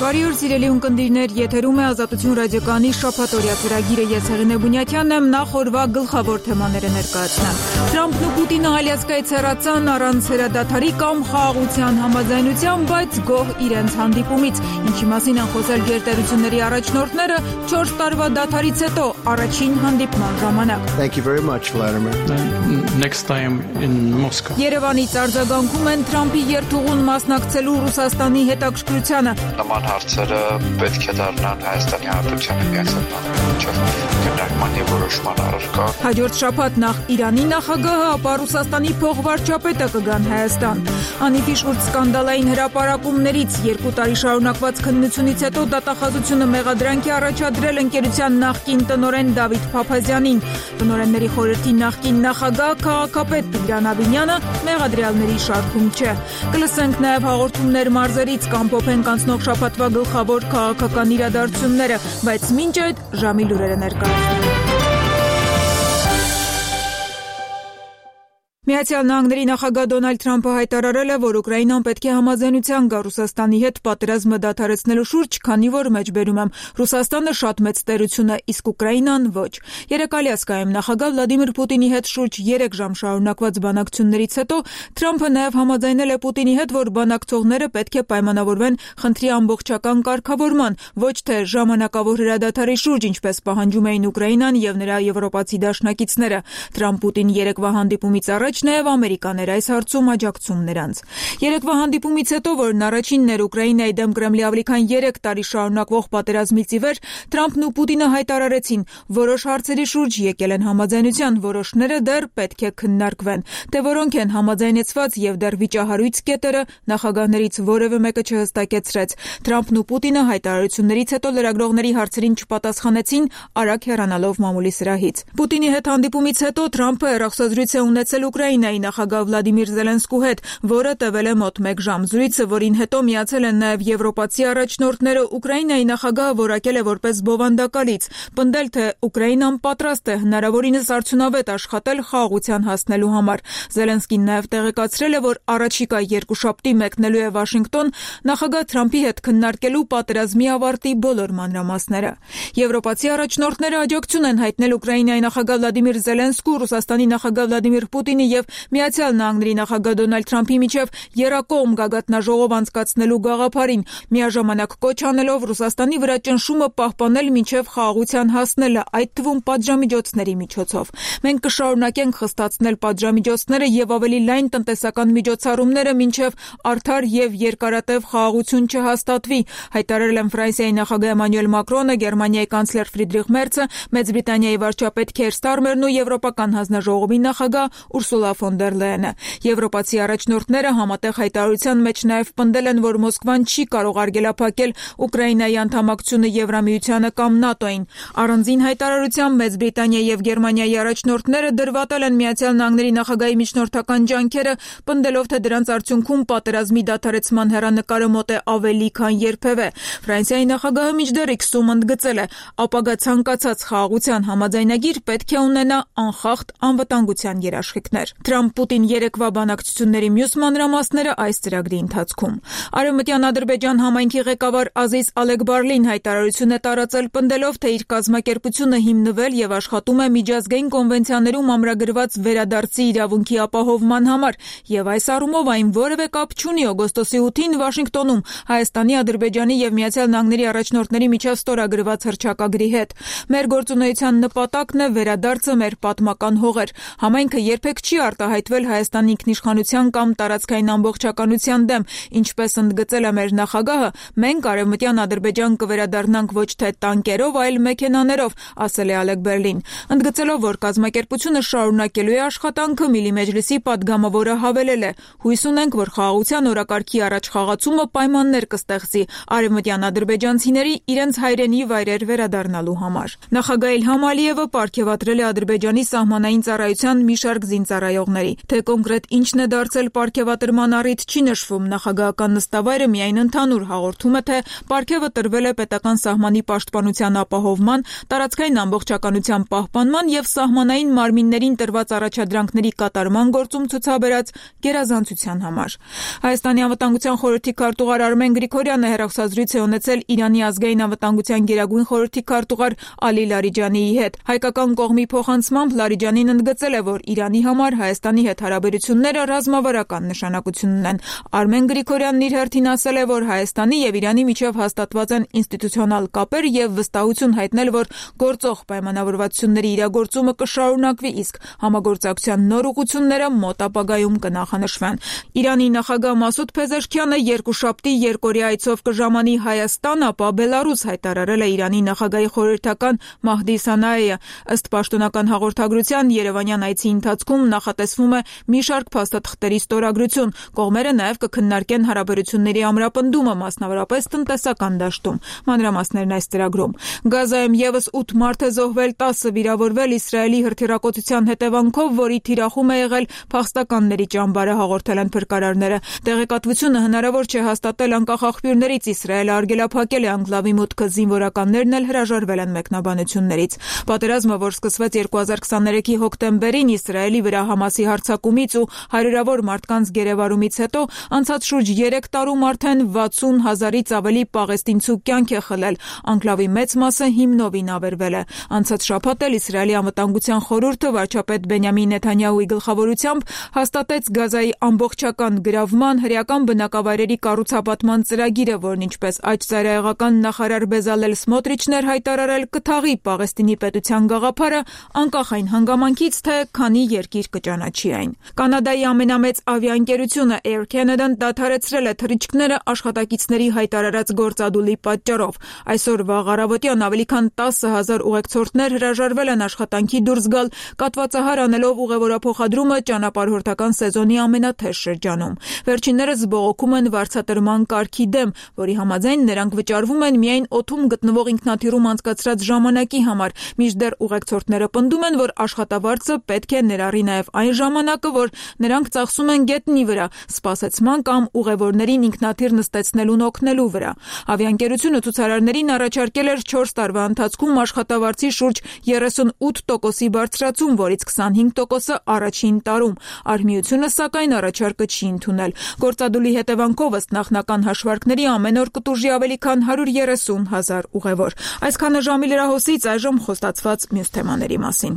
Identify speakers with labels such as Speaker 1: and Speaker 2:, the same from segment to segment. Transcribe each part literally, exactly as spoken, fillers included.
Speaker 1: Բարի օր սիրելի ունկնդիրներ, եթերում է Ազատություն ռադիոկայանի շաբաթօրյա ծրագիրը, ես Հեղինե Բունյաթյանն եմ, նախ օրվա գլխավոր թեմաները ներկայացնեմ։ Թրամփն ու Պուտինը Ալյասկայից հեռացան առանց հրադադարի կամ խաղաղության համաձայնության, բայց գոհ իրենց հանդիպումից, ինչի մասին են խոսել գերտերությունների առաջնորդները չորս տարվա դադարից հետո առաջին հանդիպման ժամանակ։
Speaker 2: Thank you very much, Vladimir.
Speaker 3: Next time in Moscow.
Speaker 1: Երևանից արձագանքում են Թրամփի երթուղուն մասնակցելու Ռուսաստանի հետաքրքրությանը։
Speaker 4: Նման հարցերը պետք է դառնան Հայաստանի Հանրապետության Միացյալ Նահանգների քննարկման և որոշման առարկա։
Speaker 1: Հաջորդ շաբաթ նախ Իրանի նախագահը, ապա Ռուսաստանի փոխվարչապետը կգան Հայաստան։ Անիվի շուրջ սկանդալային հրապարակումներից երկու տարի շարունակված քննությունից հետո դատախազությունը մեղադրանք է առաջադրել ընկերության նախկին տնօրեն Դավիթ Փափազյանին։ Տնօրենների խորհրդի նախկին նախագահ քաղաքապետ Տիգրան Ավինյանը մեղադրյալների շարքում չէ։ Կլսենք նաև հաղորդումներ մարզերից, կամփոփենք անցնող շաբաթվա գլխավոր քաղաքական իրադարձությունները, բայց մինչ այդ ժամի լուրերը ներկայացնենք։ Միացյալ Նահանգների նախագահ Դոնալդ Թրամփը հայտարարել է, որ Ուկրաինան պետք է համաձայնության գա Ռուսաստանի հետ պատերազմը դադարեցնելու շուրջ, քանի որ մեջբերում եմ Ռուսաստանը շատ մեծ տերություն է, իսկ Ուկրաինան ոչ։ Երեկ Ալյասկայում նախագահ Վլադիմիր Պուտինի հետ շուրջ երեք ժամ շարունակված բանակցություններից հետո Թրամփը նաև համաձայնել է Պուտինի հետ, որ բանակցողները պետք է պայմանավորվեն խնդրի ամբողջական կարգավորման, ոչ թե ժամանակավոր հրադադարի շուրջ, ինչպես պահանջում էին Ուկրաինան եւ նրա եվրոպացի դաշնակիցները։ Թրամփ-Պուտին երեկվա հանդիպումից առաջ Նաև Ամերիկաներ այս հարցում աջակցում նրանց։ Երեկվա հանդիպումից հետո, որն առաջինն էր Ուկրաինայի դեմ Կրեմլի ավելի քան երեք տարի շարունակվող պատերազմից ի վեր, Թրամփն ու Պուտինը հայտարարեցին, որոշ հարցերի շուրջ եկել են համաձայնության, որոշները դեռ պետք է քննարկվեն։ Թե որոնք են համաձայնեցված եւ դեռ վիճահարույց կետերը, նախագահներից որևէ մեկը չհստակեցրեց։ Թրամփն ու Պուտինը հայտարարություններից հետո լրագրողների հարցերին չպատասխանեցին, արագ հեռանալով մամուլի սրահից։ Պուտինի հետ հանդիպումից հետո Թրամփը հեռախոսազրույց է ունեցել Ուկրաինայի նախագահ Վլադիմիր Զելենսկու հետ, որը տևել է մոտ մեկ ժամ։ Զրույցը, որին հետո միացել են նաև եվրոպացի առաջնորդները, Ուկրաինայի նախագահը որակել է որպես բովանդակալից, պնդել, թե Ուկրաինան պատրաստ է հնարավորինս արդյունավետ աշխատել խաղաղության հասնելու համար։ Զելենսկին նաև տեղեկացրել է, որ առաջիկա երկուշաբթի մեկնելու է Վաշինգտոն նախագահ Թրամփի հետ քննարկելու պատերազմի ավարտի բոլոր մանրամասները։ Եվրոպացի առաջնորդները աջակցություն են հայտնել Ուկրաինայի նախագահ Վլադիմիր Զելենսկու, Ռուսաստանի նախագահ Վլադիմիր Պուտինի եւ Միացյալ Նահանգների նախագահ Դոնալդ Թրամփի միջև երակողմ գագաթնաժողով անցկացնելու գաղափարին, միաժամանակ կոչ անելով Ռուսաստանի վրա ճնշումը պահպանել մինչև խաղաղության հասնելը, այդ թվում պատժամիջոցների միջոցով։ Մենք կշարունակենք խստացնել պատժամիջոցները եւ ավելի լայն տնտեսական միջոցառումները մինչև արդար եւ երկարատև խաղաղություն չհաստատվի, հայտարարել են Ֆրանսիայի նախագահ Էմանուել Մակրոնը, Գերմանիայի կանցլեր Ֆրիդրիխ Մերցը, Մեծ Բրիտանիայի վարչապետ Քեր Ստարմերն ու Եվրոպական հանձնաժողովի նախագահ Ուրսուլա ֆոն դեր Լայենը։ Եվրոպացի առաջնորդները համատեղ հայտարարության մեջ նաև պնդել են, որ Մոսկվան չի կարող արգելափակել Ուկրաինայի անդամակցությունը Եվրամիությանը կամ ՆԱՏՕ-ին։ Առանձին հայտարարությամբ Մեծ Բրիտանիայի եւ Գերմանիայի առաջնորդները դրվատել են Միացյալ Նահանգների նախագահի միջնորդական ջանքերը, պնդելով, թե դրանց արդյունքում պատերազմի դադարեցման հեռանկարը մոտ է ավելի քան երբևէ։ Ֆրանսիայի նախագահը մինչդեռ X-ում ընդգծել է, ապագա ցանկացած խաղաղության համաձայնագիր պետք է ունենա անխախտ անվտանգության երաշխիքներ։ Թրամփ-Պուտին երեկվա բանակցությունների մյուս մանրամասները այս ծրագրի ընթացքում։ Արևմտյան Ադրբեջան համայնքի ղեկավար Ազիզ Ալեքբարլին հայտարարություն է տարածել, պնդելով, թե իր կազմակերպությունը հիմնվել եւ աշխատում է միջազգային կոնվենցիաներում ամրագրված վերադարձի իրավունքի ապահովման համար, եւ այս առումով այն որևէ կապ չունի օգոստոսի ութին Վաշինգտոնում Հայաստանի, Ադրբեջանի եւ Միացյալ Նահանգների առաջնորդների միջև ստորագրված հռչակագրի հետ։ Մեր գործունեության նպատակն է վերադարձը մեր պատմական հողեր։ Համայնքը երբեք չի արտահայտվել Հայաստանի ինքնիշխանության կամ տարածքային ամբողջականության դեմ, ինչպես ընդգծել է մեր նախագահը, մենք Արևմտյան Ադրբեջան կվերադառնանք ոչ թե տանկերով, այլ մեքենաներով, ասել է Ալեքբերլին, ընդգծելով, որ կազմակերպությունը շարունակելու է աշխատանքը, Միլի Մեջլիսի պատգամավորը հավելել է. հույս ունենք, որ խաղաղության օրակարգի առաջ խաղացումը պայմաններ կստեղծի արևմտյան ադրբեջանցիների իրենց հայրենի վայրեր վերադառնալու համար։ Նախագահ Իլհամ Ալիևը պարգևատրել է Ադրբեջանի սահմանային ծառայության մի շարք զինծառայողների ծառայողների։ Թե կոնկրետ ինչն է դարձել պարգևատրման առիթ չի նշվում, նախագահական նստավայրը միայն ընդհանուր հաղորդում է, թե պարգևը տրվել է պետական սահմանի պաշտպանության ապահովման, տարածքային ամբողջականության պահպանման եւ սահմանային մարմիններին տրված առաջադրանքների կատարման գործում ցուցաբերած գերազանցության համար։ Հայաստանի անվտանգության խորհրդի քարտուղար Արմեն Գրիգորյանը հեռախոսազրույց է ունեցել Իրանի ազգային անվտանգության գերագույն խորհրդի քարտուղար Ալի Լարիջանիի հետ։ Հայկական կողմի փոխանցմամբ Լարիջանին ընդգծել է, որ Իրանի համար Հայաստանի հետ հարաբերությունները ռազմավարական նշանակություն ունեն։ Արմեն Գրիգորյանն իր հերթին ասել է, որ Հայաստանի եւ Իրանի միջև հաստատված են ինստիտուցիոնալ կապեր եւ վստահություն հայտնել, որ գործող պայմանավորվածությունների իրագործումը կշարունակվի, իսկ համագործակցության նոր ուղղությունները մոտ ապագայում կնախանշվեն։ Իրանի նախագահ Մասուդ Փեզեշքյանը երկուշաբթի երկօրյա այցով կժամանի Հայաստան, ապա Բելարուս, հայտարարել է Իրանի նախագահի խորհրդական Մահդի Սանայեը։ Ըստ պաշտոնական հաղորդագրության, Երևանյան այցի ընթացքում նախատեսվում է մի շարք փաստաթղթերի ստորագրություն։ Կողմերը նաև կքննարկեն հարաբերությունների ամրապնդումը, մասնավորապես տնտեսական դաշտում։ Մանրամասներն այս ծրագրում։ Գազայում եւս ութ մարդ է զոհվել, տասը վիրավորվել Իսրայելի հրթիռակոծության հետևանքով, որի թիրախում է եղել փախստականների ճամբարը, հաղորդել են փրկարարները։ Տեղեկատվությունը հնարավոր չէ հաստատել անկախ աղբյուրներից։ Իսրայելը արգելափակել է անկլավի մուտքը, զինվորականներն էլ հրաժարվել են մեկնաբանություններից։ Պատերազմը, որ սկսվեց երկու հազար քսաներեքի հոկտեմբերին Իսրայելի վրա Համասի հարձակումից ու հարյուրավոր մարդկանց գերեվարումից հետո, անցած շուրջ երեք տարում արդեն վաթսուն հազարից ավելի պաղեստինցու կյանք է խլել։ Անկլավի մեծ մասը հիմնովին ավերվել է։ Անցած շաբաթ էլ Իսրայելի անվտանգության խորհուրդը վարչապետ Բենյամին Նեթանյահուի գլխավորությամբ հաստատեց Գազայի ամբողջական գրավման, հրեական բնակավայրերի կառուցապատման ծրագիրը, որն ինչպես աջ-ծայրահեղական նախարար Բեզալել Սմոտրիչն էր հայտարարել, կթաղի Պաղեստինի պետության գաղափարը, անկախ այն հանգամանքից, թե քանի երկիր կճանաչի այն։ Կանադայի ամենամեծ ավիաընկերությունը Air Canada-ն դադարեցրել է թռիչքները աշխատակիցների հայտարարած գործադուլի պատճառով։ Այսօր վաղ առավոտյան ավելի քան տասը հազար ուղեկցորդներ հրաժարվել են աշխատանքի դուրս գալ, կատվածահար անելով ուղևորափոխադրումը ճանապարհորդական սեզոնի ամենաթեժ շրջանում։ Վերջիններս բողոքում են վարձատրման կարգի դեմ, որի համաձայն նրանք վճարվում են միայն օդում գտնվող ինքնաթիռում անցկացրած ժամանակի համար, մինչդեռ ուղեկցորդները պնդում են, որ աշխատավարձը պետք է ներառի նաև այն ժամանակը, որ նրանք ծախսում են գետնի վրա, սպասեցման կամ ուղևորներին ինքնաթիռ նստեցնելուն օգնելու վրա։ Ավիաընկերությունը ցուցարարներին առաջարկել էր չորս տարվա ընթացքում աշխատավարձի շուրջ երեսունութ տոկոսի բարձրացում, որից քսանհինգ տոկոսը առաջին տարում։ Արհմիությունը, սակայն, առաջարկը չի ընդունել։ Գործադուլի հետևանքով, ըստ նախնական հաշվարկների, ամեն օր կտուժի ավելի քան հարյուր երեսուն հազար ուղևոր։ Այսքանը ժամի լրահոսից, այժմ խոստացված մյուս թեմաների մասին։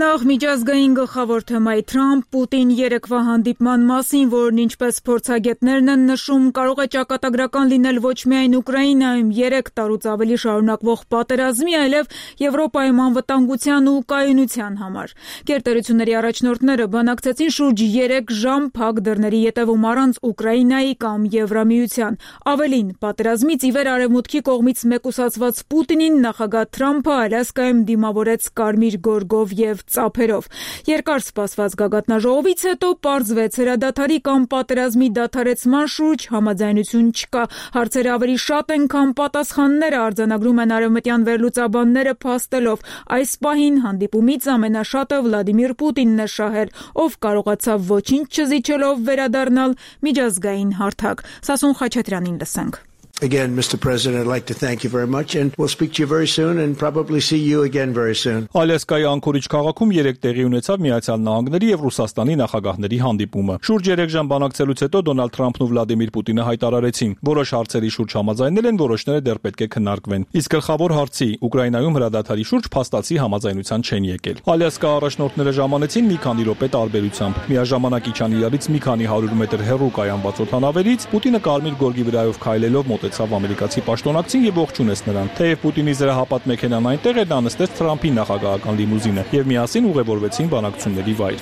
Speaker 1: Նախ միջազգային գլխավոր թեմայի Թրամփ-Պուտին երեկվա հանդիպման մասին, որն ինչպես փորձագետներն են նշում, կարող է ճակատագրական լինել ոչ միայն Ուկրաինայում երեք տարուց ավելի շարունակվող պատերազմի, այլև Եվրոպայում անվտանգության ու կայունության համար։ Գերտերությունների առաջնորդները բանակցեցին շուրջ երեք ժամ փակ դռների ետևում առանց Ուկրաինայի կամ Եվրամիության։ Ավելին, պատերազմից ի վեր արևմուտքի կողմից մեկուսացված Պուտինին նախագահ Թրամփը Ալյասկայում դիմավորեց կարմիր գորգով եւ ծափերով։ Երկար սպասված գագաթնաժողովից հետո պարզվեց, հրադադարի կամ պատերազմի դադարեցման շուրջ համաձայնություն չկա։ Հարցերը ավելի շատ են, քան պատասխանները, արձանագրում են արևմտյան վերլուծաբանները փաստելով։ Այս պահին հանդիպումից ամենաշատը Վլադիմիր Պուտինն է շահել, ով կարողացավ ոչինչ չզիջելով վերադառնալ միջազգային հարթակ։ Սասուն Խաչատրյանին լսենք։
Speaker 2: Again, Mister President, I'd like to thank you very much, and we'll speak to you very soon and probably see you again very soon.
Speaker 5: Ալյասկայի Անկորիջ քաղաքում երեք տեղի ունեցավ Միացյալ Նահանգների եւ Ռուսաստանի նախագահների հանդիպումը։ Շուրջ երեք ժամ բանակցելուց հետո Դոնալդ Թրամփն ու Վլադիմիր Պուտինը հայտարարեցին, որոշ հարցերի շուրջ համաձայնել են, որոշները դեռ պետք է քննարկվեն։ Իսկ գլխավոր հարցի Ուկրաինայում հրադադարի շուրջ փաստացի համաձայնության չեն եկել։ Ալյասկա առաջնորդները ժամանեցին մի քանի րոպե տարբերությամբ։ Միաժամանակ իջան իրարից մի քանի հարյուր մետր հեռու կայանված օդանավերից, Պուտինը կարմիր գորգի վրայով քայլելով մոտեցավ ամերիկացի պաշտոնակցին եւ ողջունեց նրան։ Թեև Պուտինի զրահապատ մեքենան այնտեղ էր, նա նստեց Թրամփի նախագահական լիմուզինը եւ միասին ուղևորվեցին բանակցությունների վայր։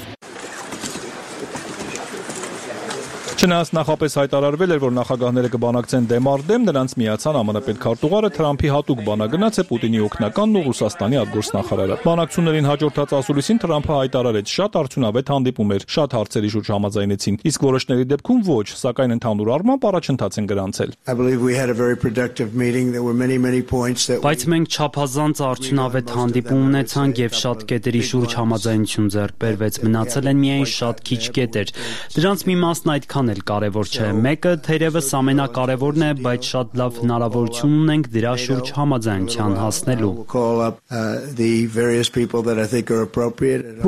Speaker 5: Չնայած նախապես հայտարարվել էր, որ նախագահները կբանակցեն դեմ առ դեմ, նրանց միացան ԱՄՆ պետքարտուղարը, Թրամփի հատուկ բանագնաց է Պուտինի օգնականն ու Ռուսաստանի արտգործնախարարը։ Բանակցություններին հաջորդած ասուլիսին Թրամփը հայտարարեց, շատ արդյունավետ հանդիպում էր, շատ հարցերի շուրջ համաձայնեցին, իսկ որոշների դեպքում ոչ, սակայն ընդհանուր առմամբ առաջընթաց են գրանցել։
Speaker 6: Բայց մենք չափազանց արդյունավետ հանդիպում ունեցանք եւ շատ կետերի շուրջ համաձայնություն ձեռք բերվեց, մնացել են միայն շատ քիչ կետեր։ Դրանց մի մասն այդքան էլ կարևոր չէ։ Մեկը թերևս ամենակարևորն է, բայց շատ լավ հնարավորություն ունենք դրա շուրջ համաձայնության հասնելու։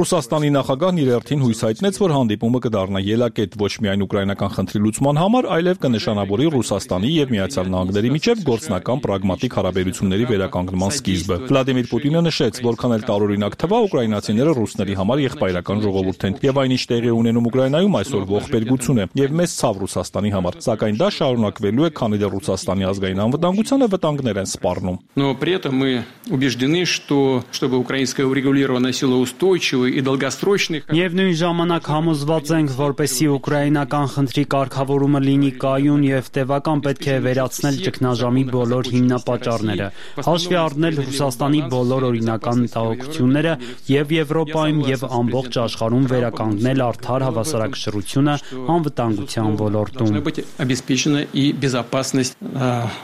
Speaker 5: Ռուսաստանի նախագահն իր հերթին հույս հայտնեց, որ հանդիպումը կդառնա ելակետ ոչ միայն ուկրաինական խնդրի լուծման համար, այլև կնշանավորի Ռուսաստանի եւ Միացյալ Նահանգների միջև գործնական պրագմատիկ հարաբերությունների վերականգնման սկիզբը։ Վլադիմիր Պուտինը նշեց, որքան էլ տարօրինակ թվա, ուկրաինացիները ռուսների համար եղբայրական ժողովուրդ են եւ այն ինչ տեղի ունենում Ուկրաինայում այսօր ողբերգություն է եւ մեծ ցավ Ռուսաստանի համար, սակայն դա շարունակվելու է, քանի դեռ Ռուսաստանի ազգային անվտանգությանը վտանգներ են սպառնում։
Speaker 3: Но при этом мы убеждены, что чтобы украинское урегулирование носило устойчивый и долгосрочный.
Speaker 6: Միևնույն ժամանակ համոզված ենք, որպեսզի ուկրաինական խնդրի կարգավորումը լինի կայուն եւ տևական, պետք է վերացնել ճգնաժամի բոլոր հիմնապատճառները, հաշվի առնել Ռուսաստանի բոլոր օրինական մտահոգությունները եւ Եվրոպայում եւ ամբողջ աշխարհում վերականգնել արդար հավասարակշռությունը անվտանգության ոլորտում։
Speaker 3: Обеспечена и безопасность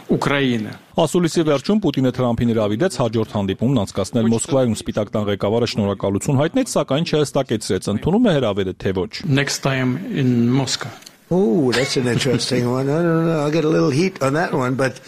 Speaker 3: Украины.
Speaker 5: Ասուլիսի վերջում Պուտինը Թրամփին հրավիրեց հաջորդ հանդիպումն անցկացնել Մոսկվայում։ Սպիտակ տան ղեկավարը շնորհակալություն հայտնեց, սակայն չհստակեցրեց, ընդունում է հրավերը թե ոչ։
Speaker 3: Next time in Moscow.
Speaker 2: Oh, that's an interesting one. I don't know. I'll get a little heat on that one, but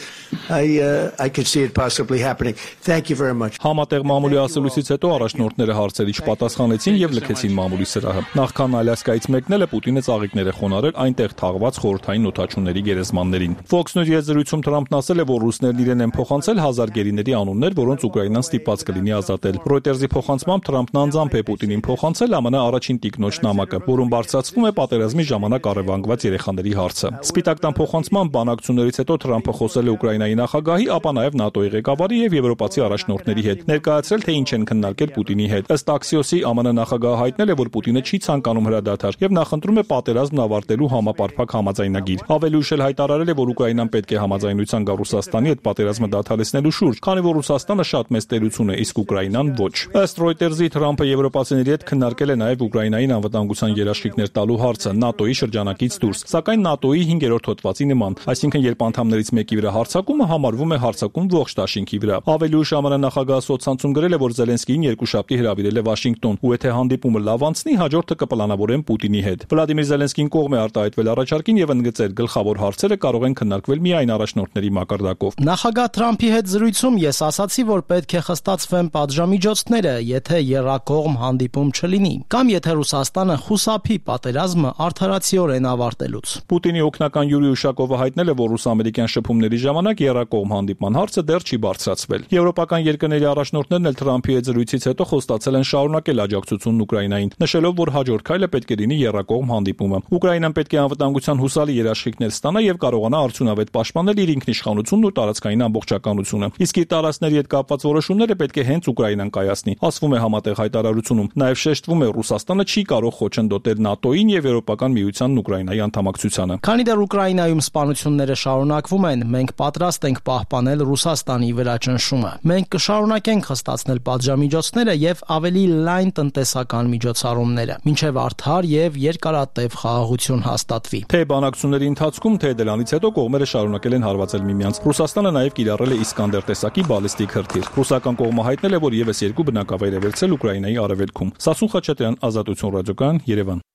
Speaker 2: I uh, I could see it possibly happening. Thank you very much.
Speaker 5: Համատեղ մամուլի ասուլիսից հետո առաջնորդները հարցերի չպատասխանեցին եւ լքեցին մամուլի սրահը։ Նախքան Ալյասկայից մեկնելը Պուտինը ծաղիկներ է խոնարհել այնտեղ թաղված խորհրդային նոթաչուների գերեզմաններին։ Fox News-ի զրույցում Թրամփն ասել է, որ ռուսներն իրեն են փոխանցել հազար գերիների անուններ, որոնց Ուկրաինան ստիպված կլինի ազատել։ Reuters-ի փոխանցմամբ Թրամփն անձամբ է Պուտինին փոխանցել ԱՄՆ առաջին տիկնոջ նամակը, որում բարձրացվում է պատերազմի ժամանակ առևանգված երեխաների հարցը։ Սպիտակ տան փոխանցման բանակցություններից հետո Թրամփը խոսել է Ուկրաինայի նախագահի, ապա նաև ՆԱՏՕ-ի ղեկավարի եւ եվրոպացի առաջնորդների հետ, ներկայացրել թե ինչ են քննարկել Պուտինի հետ։ Ըստ Axios-ի ԱՄՆ նախագահը հայտնել է, որ Պուտինը չի ցանկանում հրադադար եւ նախընտրում է պատերազմն ավարտելու համապարփակ համաձայնագիր։ Ավելի ուշ էլ հայտարարել է, որ Ուկրաինան պետք է համաձայնության գա Ռուսաստանի հետ պատերազմը դադարեցնելու շուրջ, քանի որ Ռուսաստանը շատ մեծ տերություն է, իսկ Ուկրաինան ոչ։ Ըստ Reuters-ի Թրամփը եվրոպացիների հետ քննարկել է նաև Ուկրաինային անվտանգության երաշխիքներ տալու հարցը ՆԱՏՕ-ի շրջանակից դուրս, սակայն ՆԱՏՕ-ի հինգերորդ հոդվածի նման, այսինքն երբ անդամներից մեկի վրա հարձակումը համարվում է հարձակում ողջ դաշինքի վրա։ Ավելի ուշ ԱՄՆ նախագահը սոցցանցում գրել է, որ Զելենսկիին երկուշաբթի հրավիրել է Վաշինգտոն, ու եթե հանդիպումը լավ անցնի, հաջորդը կպլանավորեն Պուտինի հետ։ Վլադիմիր Զելենսկին կողմ է արտահայտվել առաջարկին եւ ընդգծել, գլխավոր հարցերը կարող են քննարկվել միայն առաջնորդների մակարդակով։
Speaker 7: Նախագահ Թրամփի հետ զրույցում ես ասացի, որ պետք է խստացվեն պատժամիջոցները, եթե եռակողմ հանդիպում չլինի, կամ եթե Ռուսաստանը խուսափի պատերազմը արդարացիորեն ավարտելուց։
Speaker 5: Պուտինի օգնական Յուրի Ուշակովը հայտնել է, որ ռուս-ամերիկյան շփումների ժամանակ եռակողմ հանդիպման հարցը դեռ չի բարձրացվել։ Եվրոպական երկրների առաջնորդներն էլ Թրամփի հետ զրույցից հետո խոստացել են շարունակել աջակցությունն Ուկրաինային, նշելով, որ հաջորդ քայլը պետք է լինի եռակողմ հանդիպումը։ Ուկրաինան պետք է անվտանգության հուսալի երաշխիքներ ստանա եւ կարողանա արդյունավետ պաշտպանել իր ինքնիշխանությունն ու տարածքային ամբողջականությունը։ Իսկ իր տարածքների հետ կապված որոշումները պետք է հենց Ուկրաինան կայացնի, ասվում է համատեղ հայտարարությունում։ Նաեւ շեշտվում է, Ռուսաստանը չի կարող խոչընդոտել ՆԱՏՕ-ին եւ Եվրոպական միությանն Ուկրաինայի անդամակցությանը։
Speaker 7: Քանի դեռ Ուկրաինայում սպանությունները շարունակվում են, մենք պատրաստ ենք պահպանել Ռուսաստանի վրա ճնշումը։ Մենք կշարունակենք խստացնել պատժամիջոցները եւ ավելի լայն տնտեսական միջոցառումները, մինչեւ արդար եւ երկարատև խաղաղություն հաստատվի։
Speaker 5: Թե բանակցությունների ընթացքում, թե դրանից հետո կողմերը շարունակել են հարվածել միմյանց։ Ռուսաստանը նաեւ կիրառել է Իսկանդեր տեսակի բալիստիկ հրթիռ։ Ռուսական կողմը հայտնել է, որ եւս երկու բնակավայր է վերցրել Ուկրաինայի արևելքում։ Սասուն Խաչատրյան, Ազատություն ռադիոկայան, Երևան։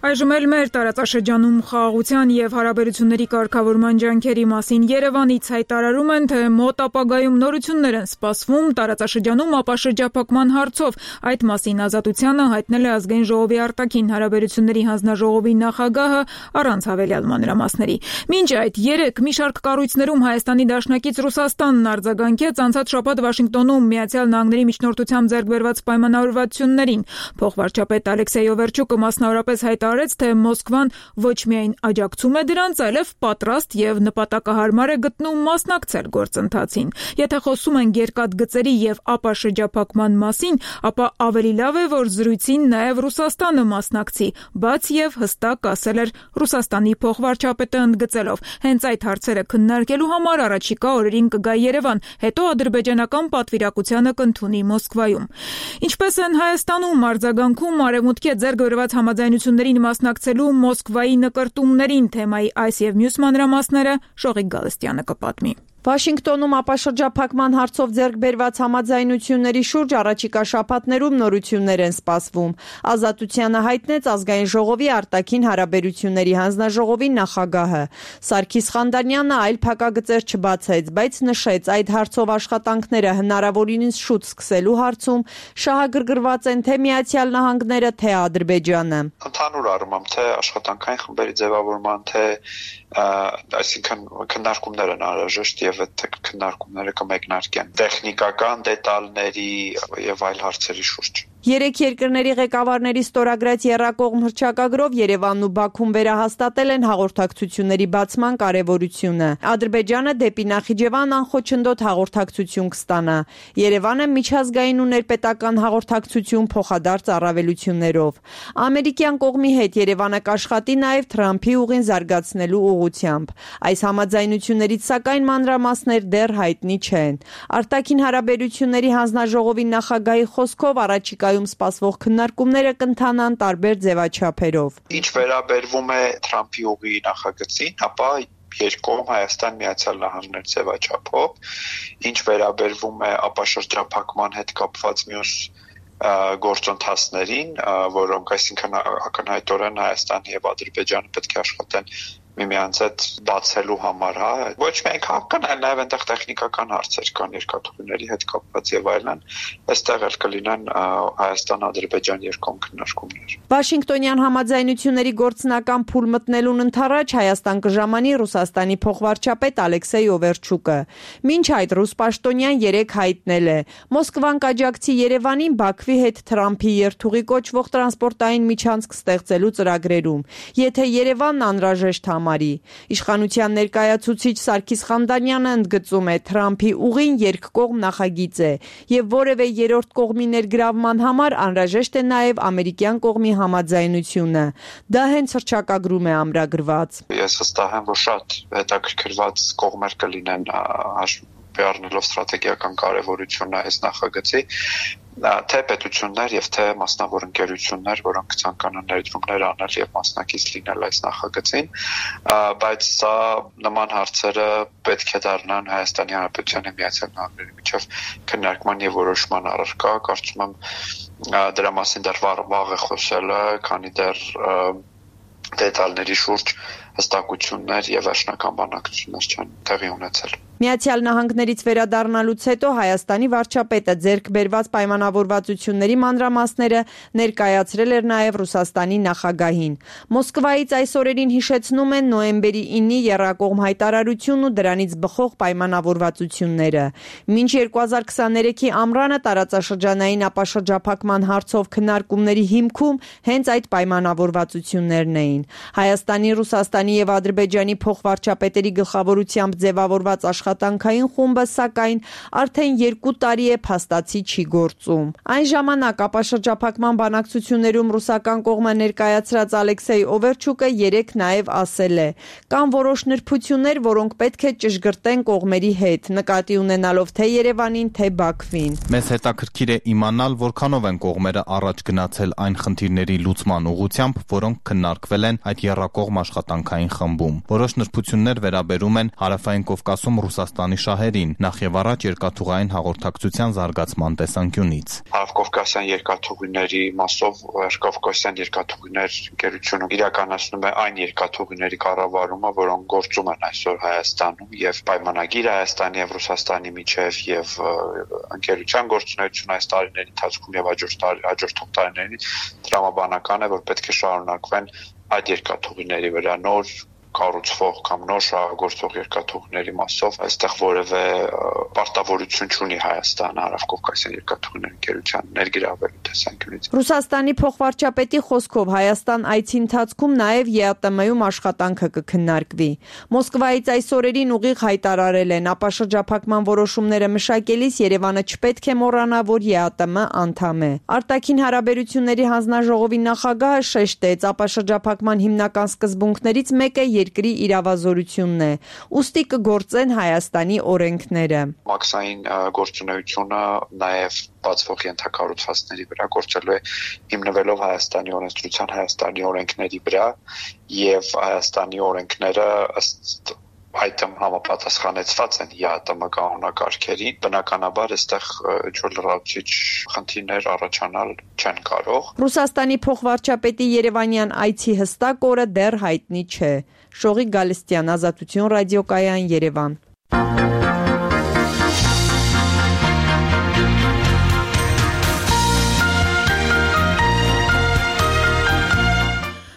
Speaker 1: Այժմ էլ մեր տարածաշրջանում խաղաղության եւ հարաբերությունների կարգավորման ջանքերի մասին Երևանից հայտարարում են, թե մոտ ապագայում նորություններ են սպասվում տարածաշրջանում ապաշրջափակման հարցով։ Այդ մասին Ազատությանը հայտնել է Ազգային ժողովի արտաքին հարաբերությունների հանձնաժողովի նախագահը առանց հավելյալ մանրամասների։ Մինչ այդ երեք մի շարք կառույցներում Հայաստանի դաշնակից Ռուսաստանն արձագանքեց անցած շաբաթ Վաշինգտոնում Միացյալ Նահանգների միջնորդությամբ ձեռք բերված պայմանավորվածություններին։ Փոխվարչապետ Ալեքսեյ Օվերչուկը մասնավորապես հայտարարեց, հայտարարեց, թե Մոսկվան ոչ միայն աջակցում է դրանց, այլև պատրաստ եւ նպատակահարմար է գտնում մասնակցել գործընթացին։ Եթե խոսում ենք երկաթգծերի եւ ԱՊԱ շրջափակման մասին, ապա ավելի լավ է, որ զրույցին նաեւ Ռուսաստանը մասնակցի, բաց եւ հստակ ասել էր Ռուսաստանի փոխվարչապետը ընդգծելով. հենց այդ հարցերը քննարկելու համար առաջիկա օրերին կգա Երևան, հետո ադրբեջանական պատվիրակությանը կընդունի Մոսկվայում։ Ինչպես են Հայաստանում արձագանքում արևմուտքի հետ ձեռք բերված համաձայնություններին մասնակցելու Մոսկվայի նկրտումներին, թեմայի այս եւ մյուս մանրամասները Շողիկ Գալստյանը կպատմի։
Speaker 8: Վաշինգտոնում ապաշրջափակման հարցով ձեռք բերված համաձայնությունների շուրջ առաջիկա շաբաթներում նորություններ են սպասվում։ Ազատությանը հայտնեց ազգային ժողովի արտաքին հարաբերությունների հանձնաժողովի նախագահը։ Սարգիս Խանդանյանը այլ փակագծեր չբացեց, բայց նշեց, այդ հարցով աշխատանքները հնարավորինս շուտ սկսելու հարցում շահագրգռված են թե Միացյալ Նահանգները, թե Ադրբեջանը։
Speaker 4: Ընդհանուր առմամբ թե աշխատանքային խմբերի ձևավորման, թե այսինքն քննարկումներ են անհրաժեշտ եւ այդ քննարկումները կմեկնարկեն տեխնիկական դետալների եւ այլ հարցերի շուրջ։
Speaker 8: Երեք երկրների ղեկավարների ստորագրած եռակողմ հռչակագրով Երևանն ու Բաքուն վերահաստատել են հաղորդակցությունների բացման կարևորությունը։ Ադրբեջանը դեպի Նախիջևան անխոչնդոտ հաղորդակցություն կստանա։ Երևանը միջազգային ու ներպետական հաղորդակցություն փոխադարձ առավելություններով։ Ամերիկյան կողմի հետ Երևանը կաշխատի նաև Թրամփի ուղին զարգացնելու ուղղությամբ։ Այս համաձայնություններից սակայն մանրամասներ դեռ հայտնի չեն։ Արտաքին հարաբերությունների հանձնաժողովի նախագահի խոսքով առաջիկա սպասվող քննարկումները կընթանան տարբեր ձևաչափերով։
Speaker 4: Ինչ վերաբերվում է Թրամփի ուղի նախագծին, ապա երկկողմ Հայաստան Միացյալ Նահանգներ ձևաչափով, ինչ վերաբերվում է ապաշրջափակման հետ կապված մյուս գործընթացներին, որոնք այսինքն ակնհայտորեն Հայաստան եւ Ադրբեջանը պետք է աշխատեն միմյանց հետ բացելու համար, հա, ոչ միայն քաղաքական, այլ նաև այնտեղ տեխնիկական հարցեր կան երկաթուղիների հետ կապված եւ այլն, այստեղ էլ կլինեն Հայաստան-Ադրբեջան երկկողմ քննարկումներ։
Speaker 8: Վաշինգտոնյան համաձայնությունների գործնական փուլ մտնելուն ընդառաջ Հայաստան կժամանի Ռուսաստանի փոխվարչապետ Ալեքսեյ Օվերչուկը։ Մինչ այդ ռուս պաշտոնյան երեկ հայտնել է. Մոսկվան կաջակցի Երևանին Բաքվի հետ Թրամփի երթուղի կոչվող տրանսպորտային միջանցք ստեղծելու ծրագրերում, եթե Երևանն անհրաժեշտ համարի։ Իշխանության ներկայացուցիչ Սարգիս Խանդանյանը ընդգծում է Թրամփի ուղին երկկողմ նախագիծ է եւ որևէ երրորդ կողմի ներգրավման համար անհրաժեշտ է նաեւ ամերիկյան կողմի համաձայնությունը։ Դա հենց հռչակագրում է ամրագրված։
Speaker 4: Ես հստակ եմ, որ շատ հետաքրքրված կողմեր կլինեն առնելով ստրատեգիական կարևորությունը այս նախագծի, թե պետություններ եւ թե մասնավոր ընկերություններ, որոնք ցանկանան ներդրումներ անել եւ մասնակից լինել այս նախագծին, բայց սա նման հարցերը պետք է դառնան Հայաստանի Հանրապետության Միացյալ Նահանգների միջև քննարկման եւ որոշման առարկա, կարծում եմ դրա մասին դեռ վաղ է խոսելը, քանի դեռ դետալների շուրջ հստակություններ եւ վերջնական բանակցություններ չեն տեղի ունեցել։
Speaker 8: Միացյալ Նահանգներից վերադառնալուց հետո Հայաստանի վարչապետը ձեռք բերված պայմանավորվածությունների մանրամասները ներկայացրել էր նաև Ռուսաստանի նախագահին։ Մոսկվայից այս օրերին հիշեցնում են նոյեմբերի ինի եռակողմ հայտարարությունն ու դրանից բխող պայմանավորվածությունները։ Մինչ երկու հազար քսաներեքի ամռանը տարածաշրջանային ապաշրջափակման հարցով քննարկումների հիմքում հենց այդ պայմանավորվածություններն էին։ Հայաստանի, Ռուսաստանի եւ Ադրբեջանի փոխվարչապետերի գլխավորությամբ ձևավորված աշխատանքային խումբը սակայն արդեն երկու տարի է փաստացի չի գործում։ Այն ժամանակ ապաշրջափակման բանակցություններում ռուսական կողմը ներկայացրած Ալեքսեյ Օվերչուկը երեք նաև ասել է. կան որոշ նրբություններ, որոնք պետք է ճշգրտեն կողմերի հետ, նկատի ունենալով թե Երևանին, թե Բաքվին։
Speaker 9: Մեզ հետաքրքիր է իմանալ, որքանով են կողմերը առաջ գնացել այն խնդիրների լուծման ուղղությամբ, որոնք քննարկվել են այդ եռակողմ աշխատանքային խմբում։ Որոշ նրբություններ վերաբերում են Հարավային Կովկասում Ռուսաստանի շահերին, նախ եւ առաջ երկաթուղային հաղորդակցության զարգացման տեսանկյունից։
Speaker 4: Հարավկովկասյան երկաթուղիների մասով Կովկասյան երկաթուղիներ ընկերությունը իրականացնում է այն երկաթուղիների կառավարումը, որոնք գործում են այսօր Հայաստանում եւ պայմանագիր Հայաստանի եւ Ռուսաստանի միջեւ եւ ընկերության գործունեություն այս տարիների ընթացքում եւ հաջորդող տարիներին տրամաբանական է, որ պետք է շարունակվեն այդ երկաթուղիների վրա նոր կառուցվող կամ նոր շահագործող երկաթուղիների մասով այստեղ որևէ պարտավորություն չունի Հայաստանը Հարավկովկասյան երկաթուղիների ընկերության ներգրավել։ տեսանկյունից։
Speaker 8: Ռուսաստանի փոխվարչապետի խոսքով Հայաստան այցի ընթացքում նաև ԵԱՏՄ-ում աշխատանքը կքննարկվի։ Մոսկվայից այս օրերին ուղիղ հայտարարել են, ապաշրջափակման որոշումները մշակելիս Երևանը չպետք է մոռանա, որ ԵԱՏՄ անդամ է։ Արտաքին հարաբերությունների հանձնաժողովի նախագահը շեշտեց, ապաշրջափակման հիմնական սկզբունքներից մեկը երկրի իրավազորությունն է, ուստի կգործեն Հայաստանի օրենքները։
Speaker 4: Մաքսային գործունեությունը նաև բացվող ենթակառուցվածքների վրա գործելու է հիմնվելով Հայաստանի օրենսդրության, Հայաստանի օրենքների վրա եւ Հայաստանի օրենքները ըստ այդմ համապատասխանեցված են ԵԱՏՄ կանոնակարգերին, բնականաբար այստեղ ջրլրացուցիչ խնդիրներ առաջանալ չեն կարող։
Speaker 8: Ռուսաստանի փոխվարչապետի Երևանյան այցի հստակ օրը դեռ հայտնի չէ։ Շողիկ Գալստյան, Ազատություն ռադիոկայան, Երևան։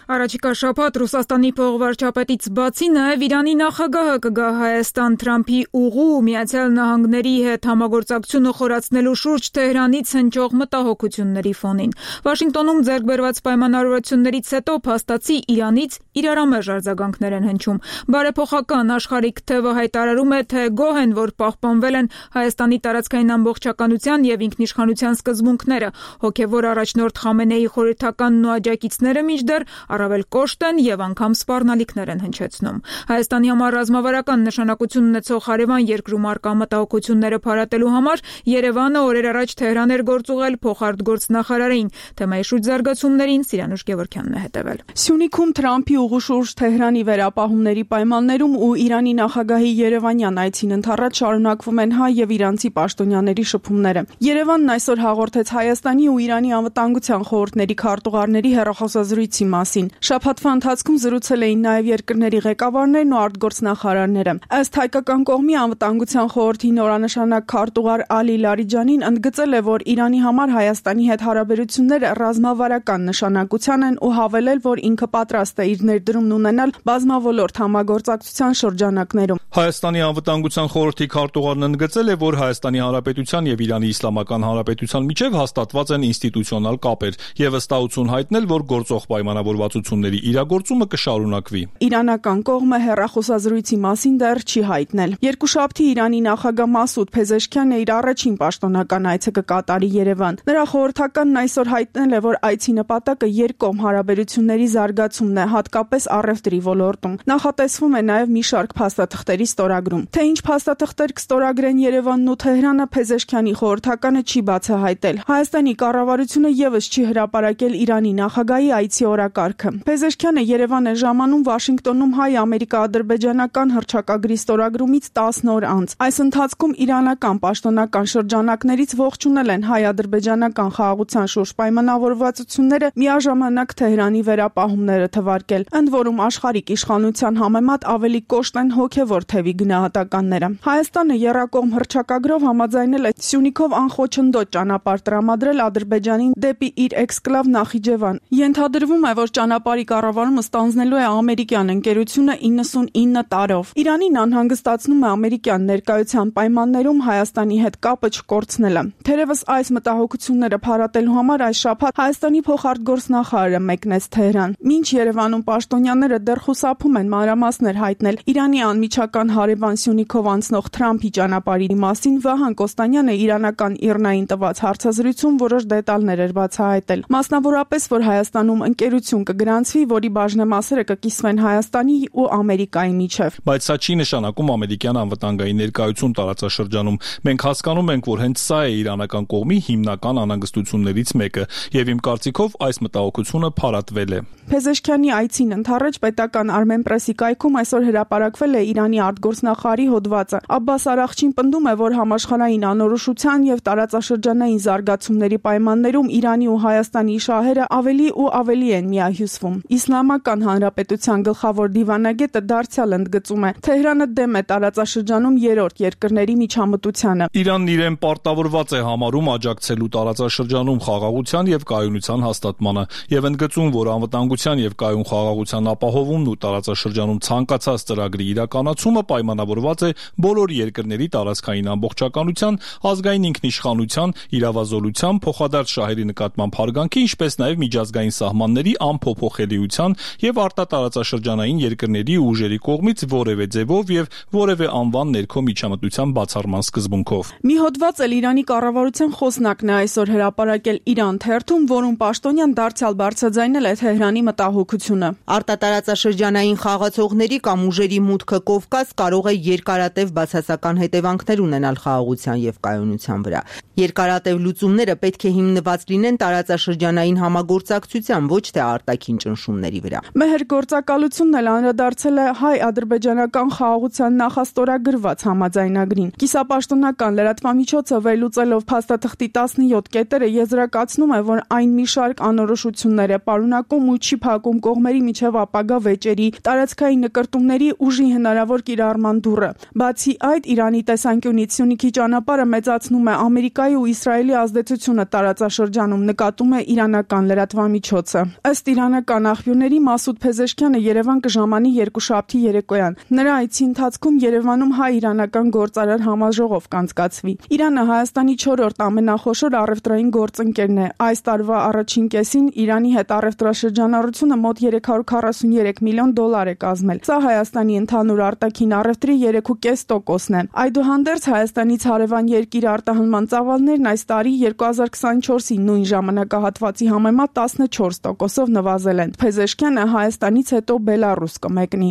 Speaker 1: Առաջիկա շաբաթ Ռուսաստանի փոխվարչապետից բացի նաև Իրանի նախագահը կգա Հայաստան Թրամփի ուղու Միացյալ Նահանգների հետ համագործակցությունը խորացնելու շուրջ Թեհրանից հնչող մտահոգությունների ֆոնին։ Վաշինգտոնում ձեռք բերված պայմանավորվածություններից հետո փաստացի Իրանից իրարամերժ արձագանքներ են հնչում։ Բարեփոխական Աշխարհիկ թևը հայտարարում է, թե գոհ են, որ պահպանվել են Հայաստանի տարածքային ամբողջականության եւ ինքնիշխանության սկզբունքները։ Հոգեվոր առաջնորդ Խամենեի խորհրդականն ու աջակիցները մինչդեռ առավել կոշտ են եւ անգամ սպառնալիքներ են հնչեցնում։ Հայաստանի համար ռազմավարական նշանակություն ունեցող հարևան երկրում արկա մտահոգությունները փարատելու համար Երևանը օրեր առաջ Թեհրան էր գործուղել փոխարտգործնախարարին։ Թեմայի շուրջ զարգացումներին Սիրանուշ Գևորգյանն է հետևել։
Speaker 10: Սյունիքում Թրամփի ուղու շուրջ Թեհրանի վերապահումների պայմաններում ու Իրանի նախագահի Երևանյան այցին ընդառաջ շարունակվում են հայ եւ իրանցի պաշտոնյաների շփումները։ Երևանն այսօր հաղորդեց Հայաստանի ու Իրանի անվտանգության խորհուրդների քարտուղարների հեռախոսազրույցի մասին։ Շաբաթվա ընթացքում զրուցել էին նաև երկրների ղեկավարներն ու արտգործնախարարները։ Ըստ հայկական կողմի անվտանգության խորհրդի նորանշանակ քարտուղար Ալի Լարիջանին ընդգծել է, որ Իրանի համար Հայաստանի հետ հարաբերությունները ռազմավարական նշանակության են ու հավելել, որ ինքը պատրաստ է իր ներդրումն ունենալ բազմավոլորտ համագործակցության շրջանակներում։
Speaker 5: Հայաստանի անվտանգության խորհրդի քարտուղարն ընդգծել է, որ Հայաստանի Հանրապետության եւ Իրանի Իսլամական Հանրապետության միջև հաստատված են ինստիտուցիոնալ կապեր եւ ըստահություն հայտնել, որ գործող պայմանավորվածությունների իրագործումը կշարունակվի։
Speaker 10: Իրանական կողմը հեռախոսազրույցի մասին դեռ չի հայտնել։ Երկուշաբթի Իրանի նախագահ Մասուդ Փեզեշքյանն իր առաջին պաշտոնական այցը կկատարի Երևան։ Նրա խորհրդականն այսօր հայտնել է, որ այցի նպատակը երկկողմ հարաբերությունների զարգացումն է, հատկապես առևտրի ոլորտում։ Նախատեսվում է նաև մի շարք փաստաթղթերի ստորագրում։ Թե ինչ փաստաթղթեր կստորագրեն Երևանն ու Թեհրանը, Փեզեշքյանի խորհրդականը չի բացահայտել։ Հայաստանի կառավարությունը եւս չի հրապարակել Իրանի նախագահի այցի օրակարգը։ Փեզեշքյանը Երևան է ժամանում Վաշինգտոնում հայ-ամերիկա-ադրբեջանական հռչակագրի ստորագրումից տասն օր անց։ Այս ընթացքում իրանական պաշտոնական շրջանակներից ողջունել են հայ-ադրբեջանական խաղաղության շուրջ պայմանավորվածությունները, միաժամանակ Թեհրանի վերապահումները թվարկել։ Ընդ որում աշխարհիկ իշխանության համեմատ ավելի կոշտ են հոգևոր թևի գնահատականները։ Հայաստանը եռակողմ հռչակագրով համաձայնել է Սյունիքով անխոչնդոտ ճանապարհ տրամադրել Ադրբեջանին դեպի իր էքսկլավ Նախիջևան։ Ենթադրվում է, որ ճանապարհի կառավարումը ստանձնելու է ամերիկյան ընկերությունը իննսունինը տարով։ Իրանին անհանգստացնում է ամերիկյան ներկայության պայմաններում Հայաստանի հետ կապը չկորցնելը։ Թերևս այս մտահոգությունները փարատելու համար այս շաբաթ Հայաստանի փոխարտգործնախարարը մեկնեց Թեհրան։ Մինչ Երևանում պաշտոնյաները դեռ խուսափում են մանրամասներ հայտնել Իրանի անմիջական հարևան Սյունիքով անցնող Թրամփի ճանապարհի մասին, Վահան Կոստանյանը իրանական ԻՌՆԱ-ին տված հարցազրույցում որոշ դետալներ էր բացահայտել։ Մասնավորապես, որ Հայաստանում ընկերություն կգրանցվի, որի բաժնեմասերը կկիսվեն Հայաստանի ու Ամերիկայի միջև։
Speaker 5: Բայց սա չի նշանակում ամերիկյան անվտանգային ներկայություն տարածաշրջանում։ Մենք հասկանում ենք, որ հենց սա է իրանական կողմի հիմնական անհանգստություններից մեկը, եւ իմ կարծիքով այս մտահոգությունը փարատվել է։
Speaker 10: Փեզեշքյանի այցին ընդառաջ պետական Armenpress-ի կայքում այսօր հրապարակվել է Իրանի արտգործնախարարի հոդվածը։ Աբբաս Արաղչին պնդում է, որ համաշխարհային անորոշության եւ տարածաշրջանային զարգացումների պայմաններում Իրանի ու Հայաստանի շահերը ավելի ու ավելի են միահյուսվում։ շփոթվում։ Իսլամական Հանրապետության գլխավոր դիվանագետը դարձյալ ընդգծում է. Թեհրանը դեմ է տարածաշրջանում երրորդ երկրների միջամտությանը։
Speaker 5: Իրանն իրեն պարտավորված է համարում աջակցելու տարածաշրջանում խաղաղության եւ կայունության հաստատմանը եւ ընդգծում, որ անվտանգության եւ կայուն խաղաղության ապահովումն ու տարածաշրջանում ցանկացած ծրագրի իրականացումը պայմանավորված է բոլոր երկրների տարածքային ամբողջականության, ազգային ինքնիշխանության, իրավազոլության, փոխադարձ շահերի նկատմամբ հարգանքի, ինչպես նաեւ միջազգային սահմանների անփոփոխելիության եւ արտատարածաշրջանային երկրների ու ուժերի կողմից որևէ ձևով եւ որևէ անվան ներքո միջամտության բացառման սկզբունքով։
Speaker 10: Մի հոդված էլ Իրանի կառավարության խոսնակն է այսօր հրապարակել Իրան թերթում, որում պաշտոնյան դարձյալ բարձրաձայնել է Թեհրանի մտահոգությունը։
Speaker 8: Արտատարածաշրջանային խաղացողների կամ ուժերի մուտքը Կովկաս կարող է երկարատև բացասական հետևանքներ ունենալ խաղաղության եւ կայունության վրա։ Երկարատև լուծումները պետք է հիմնված լինեն տարածաշրջանային համագործակցության, ոչ թե արտաքին ճնշումների վրա։
Speaker 10: Մեհր գործակալությունն էլ անդրադարձել է հայ-ադրբեջանական խաղաղության նախաստորագրված համաձայնագրին։ Կիսապաշտոնական լրատվամիջոցը վերլուծելով փաստաթղթի տասնյոթ կետերը եզրակացնում է, որ այն մի շարք անորոշություններ է պարունակում ու չի փակում կողմերի միջև ապագա վեճերի, տարածքային նկրտումների ուժի հնարավոր կիրառման դուռը։ Բացի այդ, Իրանի տեսանկյունից Սյունիքի ճանապարհը մեծացնում է Ամերիկայի ու Իսրայելի ազդեցությունը տարածաշրջանում, նկատում է իրանական լրատվամիջոցը։ Ըստ իրանական աղբյուրների Մասուդ Փեզեշքյանը Երևան կժամանի երկուշաբթի երեկոյան։ Նրա այցի ընթացքում Երևանում հայ-իրանական գործարար համաժողով կանցկացվի։ Իրանը Հայաստանի չորրորդ ամենախոշոր առևտրային գործընկերն է։ Այս տարվա առաջին կեսին Իրանի հետ առևտրաշրջանառությունը մոտ երեք հարյուր քառասուներեք միլիոն դոլար է կազմել։ Սա Հայաստանի ընդհանուր արտաքին առևտրի երեք կoma պինգ տոկոսն է։ Այդուհանդերձ Հայաստանից հարևան երկիր արտահանման ծավալներն այս տարի երկու հազար քսանչորսի նույն ժամանակահատվածի համեմատ տասնչորս տոկոսով նվազել են։ Փեզեշքյանը Հայաստանից հետո Բելարուս կմեկնի։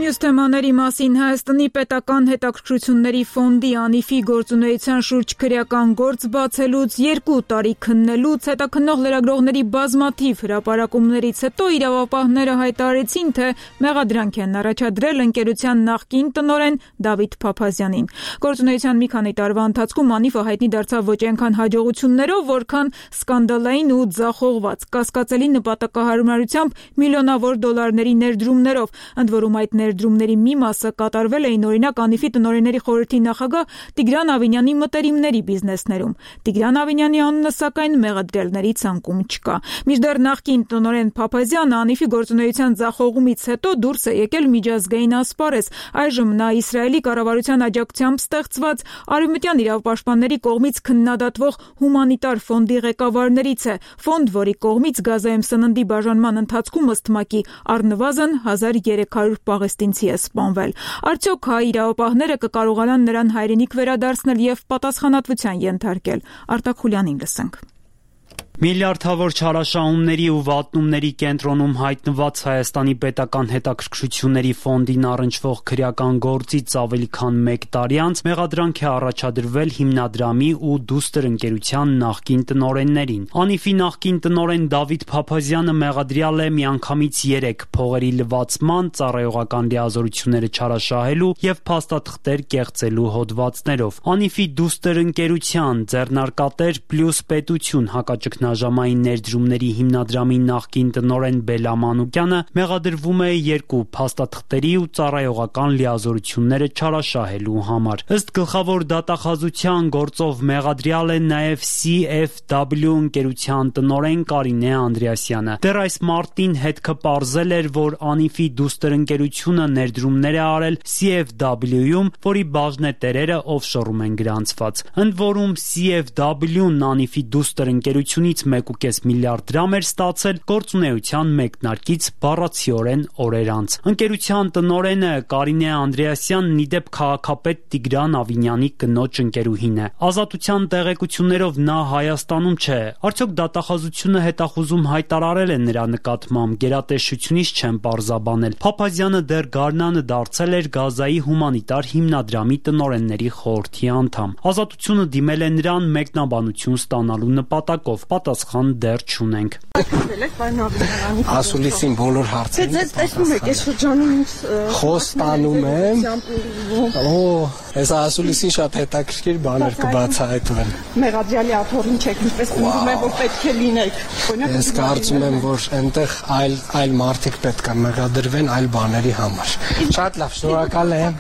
Speaker 1: Մյուս թեմաների մասին Հայաստանի պետական հետաքրքրությունների ֆոնդի անիֆի գործունեության շուրջ քրեական գործ բացելուց, երկու տարի քննելուց, հետաքննող լրագրողների բազմաթիվ հրապարակումներից հետո իրավապահները հայտարարեցին, թե մեղադրանք են առաջադրել ընկերության նախկին տնօրեն Դավիթ Փափազյանին։ Գործունեության մի քանի տարվա ընթացքում անիֆը հայտնի դարձավ ոչ այնքան հաջողություններով, որքան սկանդալային ու ձախողված, կասկածելի նպատակահարմարությամբ միլիոնավոր դոլարների ներդրումներով, ընդ որում այդ ներդրումների մի մասը կատարվել էին օրինակ անիֆի տնօրենների խորհրդի նախագահ Տիգրան Ավինյանի մտերիմների բիզնեսներում։ Տիգրան Ավինյանի անունը սակայն մեղադրելների ցանկում չկա։ Մինչդեռ նախկին տնօրեն Փափազյանը անիֆի գործունեության ձախողումից հետո դուրս է եկել միջազգային ասպարեզ։ Այժմ նա Իսրայելի կառավարության աջակցությամբ ստեղծված արևմտյան իրավապաշտպանների կողմից քննադատվող հումանիտար ֆոնդի ղեկավարներից է։ Ֆոնդ, որի կողմից Գազայում սննդի բաժանման ընթացքում ըստ ՄԱԿ-ի առնվազն հազար երեք հարյուր պաղեստինցի է սպանվել։ Արդյոք հայ իրավապահները կկարողանան նրան հայրենիք վերադարձնել եւ պատասխանատվության ենթարկել։ Արտակ Խուլյանին լսենք։
Speaker 6: Միլիարդավոր չարաշահումների ու վատնումների կենտրոնում հայտնված Հայաստանի պետական հետաքրքրությունների ֆոնդին առնչվող քրեական գործից ավելի քան մեկ տարի անց մեղադրանք է առաջադրվել հիմնադրամի ու դուստր ընկերության նախկին տնօրեններին։ անիֆի նախկին տնօրեն Դավիթ Փափազյանը մեղադրյալ է միանգամից երեք փողերի լվացման, ծառայողական լիազորությունները չարաշահելու եւ փաստաթղթեր կեղծելու հոդվածներով։ անիֆի դուստր ընկերության ձեռնարկատեր պլյուս պետություն հակաճգնաժամային Նաժամային ներդրումների հիմնադրամի նախկին տնօրեն Բելա Մանուկյանը մեղադրվում է երկու փաստաթղթերի ու ծառայողական լիազորությունները չարաշահելու համար։ Ըստ գլխավոր դատախազության գործով մեղադրյալ է նաև Սի Էֆ Դաբլյու ընկերության տնօրեն Կարինե Անդրեասյանը։ Դեռ այս մարտին հետքը պարզել էր, որ անիֆի դուստր ընկերությունը ներդրումներ է արել Սի Էֆ Դաբլյուում, որի բաժնետերերը օֆշորում են գրանցված։ Ընդ որում Սի Էֆ Դաբլյուն անիֆի դուստր ընկերությունից մեկ կoma պինգ միլիարդ դրամ էր ստացել գործունեության մեկնարկից բառացիորեն օրեր անց։ Ընկերության տնօրենը Կարինե Անդրեասյանն ի դեպ քաղաքապետ Տիգրան Ավինյանի կնոջ ընկերուհին է։ Ազատության տեղեկություններով նա Հայաստանում չէ։ Արդյոք դատախազությունը հետախուզում հայտարարել է նրա նկատմամբ, գերատեսչությունից չեն պարզաբանել։ Փափազյանը դեռ գարնանը դարձել էր Գազայի հումանիտար հիմնադրամի տնօրենների խորհրդի անդամ։ Ազատությունը դիմել է նրան մեկնաբանություն ստանալու նպատակով։ պատասխան դեռ չունենք։
Speaker 11: Ասուլիսին բոլոր հարցերին
Speaker 10: Ձեզ տեսնում եք, այս շրջանում ինչ
Speaker 11: խոստանում եմ։ Օ, այս ասուլիսին շատ հետաքրքիր բաներ կբացահայտվեն։
Speaker 10: Մեղադրյալի աթոռին չեք, ինչպես ուզում եմ, որ պետք է լինեք։
Speaker 11: Ես կարծում եմ, որ այնտեղ այլ այլ մարդիկ պետք է մեղադրվեն այլ բաների համար։ Շատ լավ, շնորհակալ եմ։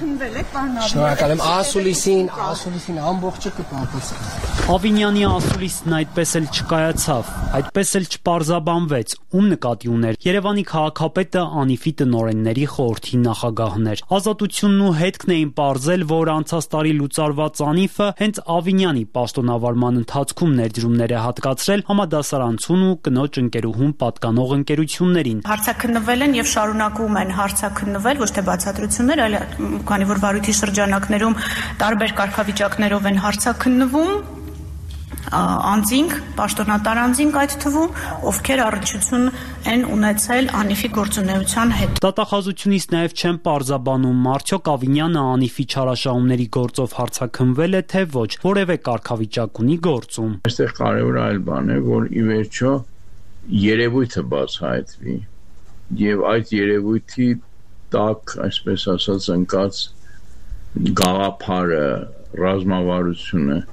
Speaker 11: Շնորհակալ եմ ասուլիսին, ասուլիսին ամբողջը կպատասխանի։
Speaker 6: Ավինյանի ասուլիսն այդպես էլ չկայացավ, այդպես էլ չպարզաբանվեց, ում նկատի ուներ Երևանի քաղաքապետը Անիֆի տնօրենների խորհրդի նախագահն էր։ Ազատությունն ու հետքն էին պարզել, որ անցած տարի լուծարված Անիֆը հենց Ավինյանի պաշտոնավարման ընթացքում ներդրումներ է հատկացրել համադասարանցուն ու կնոջ ընկերուհուն պատկանող ընկերություններին։
Speaker 12: Հարցաքննվել են եւ շարունակում են հարցաքննվել, ոչ թե բացատրություններ, այլ քանի որ վարույթի շրջանակներում տարբեր կարգավիճակներով են հարցաքննվում անձինք, պաշտոնատար անձինք այդ թվում, ովքեր առնչություն են ունեցել Անիֆի գործունեության հետ։
Speaker 6: Դատախազությունից նաև չեն պարզաբանում, արդյոք Ավինյանը Անիֆի չարաշահումների գործով հարցաքննվել է, թե ոչ, որևէ կարգավիճակ ունի գործում։
Speaker 13: Այստեղ կարևոր այլ բան է, որ ի վերջո երևույթը բացահայտվի եւ այդ երևույթի տակ, այսպես ասած, ընկած գաղափարը, ռազմավարությունը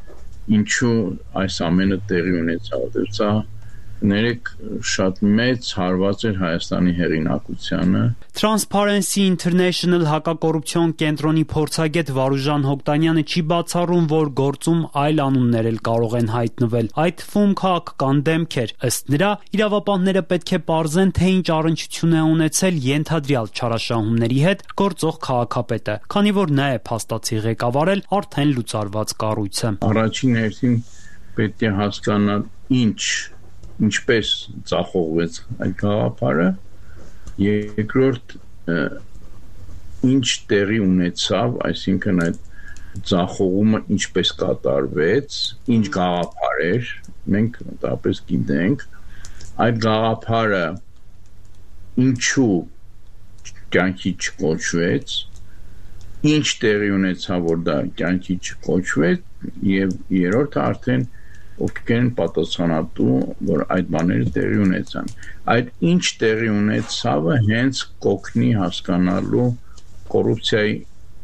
Speaker 13: ինչու այս ամենը տեղի ունեցավ, սա ներեք շատ մեծ հարված էր Հայաստանի հեղինակությանը։
Speaker 6: Transparency International հակակոռուպցիոն կենտրոնի փորձագետ Վարուժան Հոկտանյանը չի բացառում, որ գործում այլ անուններ էլ կարող են հայտնվել, այդ թվում քաղաքական դեմքեր։ Ըստ նրա, իրավապահները պետք է պարզեն, թե ինչ առնչություն է ունեցել ենթադրյալ չարաշահումների հետ գործող քաղաքապետը, քանի որ նա է փաստացի ղեկավարել արդեն լուծարված կառույցը։
Speaker 13: Առաջին հերթին պետք է հասկանալ ինչ ինչպես ծախողվեց այդ գաղափարը, երկրորդ ինչ տեղի ունեցավ, այսինքն այդ ծախողումը ինչպես կատարվեց, ինչ գաղափար էր, մենք մոտավորապես գիտենք, այդ գաղափարը ինչու կյանքի չկոչվեց, ինչ տեղի ունեցավ, որ դա կյանքի չկոչվեց, եւ երրորդը արդեն ովքեր են պատասխանատու, որ այդ բաները տեղի ունեցան։ Այդ ինչ տեղի ունեցավը հենց կօգնի հասկանալու կոռուպցիայի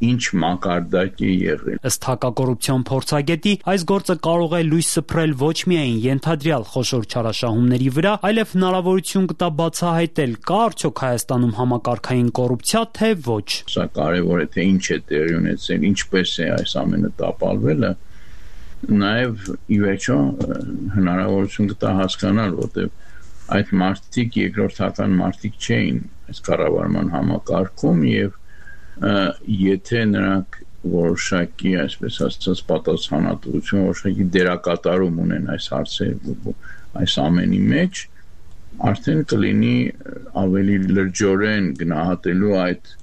Speaker 13: ինչ մակարդակ է եղել։
Speaker 6: Ըստ հակակոռուպցիոն փորձագետի, այս գործը կարող է լույս սփռել ոչ միայն ենթադրյալ խոշոր չարաշահումների վրա, այլև հնարավորություն կտա բացահայտել, կա արդյոք Հայաստանում համակարգային կոռուպցիա, թե ոչ։
Speaker 13: Սա կարևոր է, թե ինչ է տեղի ունեցել, ինչպես է այս ամենը տապալվելը։ Նաև ի վերջո հնարավորություն կտա հասկանալ, որտեղ այդ մարդիկ երկրորդական մարդիկ չէին այս կառավարման համակարգում եւ եթե նրանք որոշակի, այսպես ասած, պատասխանատվություն, որոշակի դերակատարում ունեն այս հարցերի այս ամենի մեջ, արդեն կլինի ավելի լրջորեն գնահատելու այդ,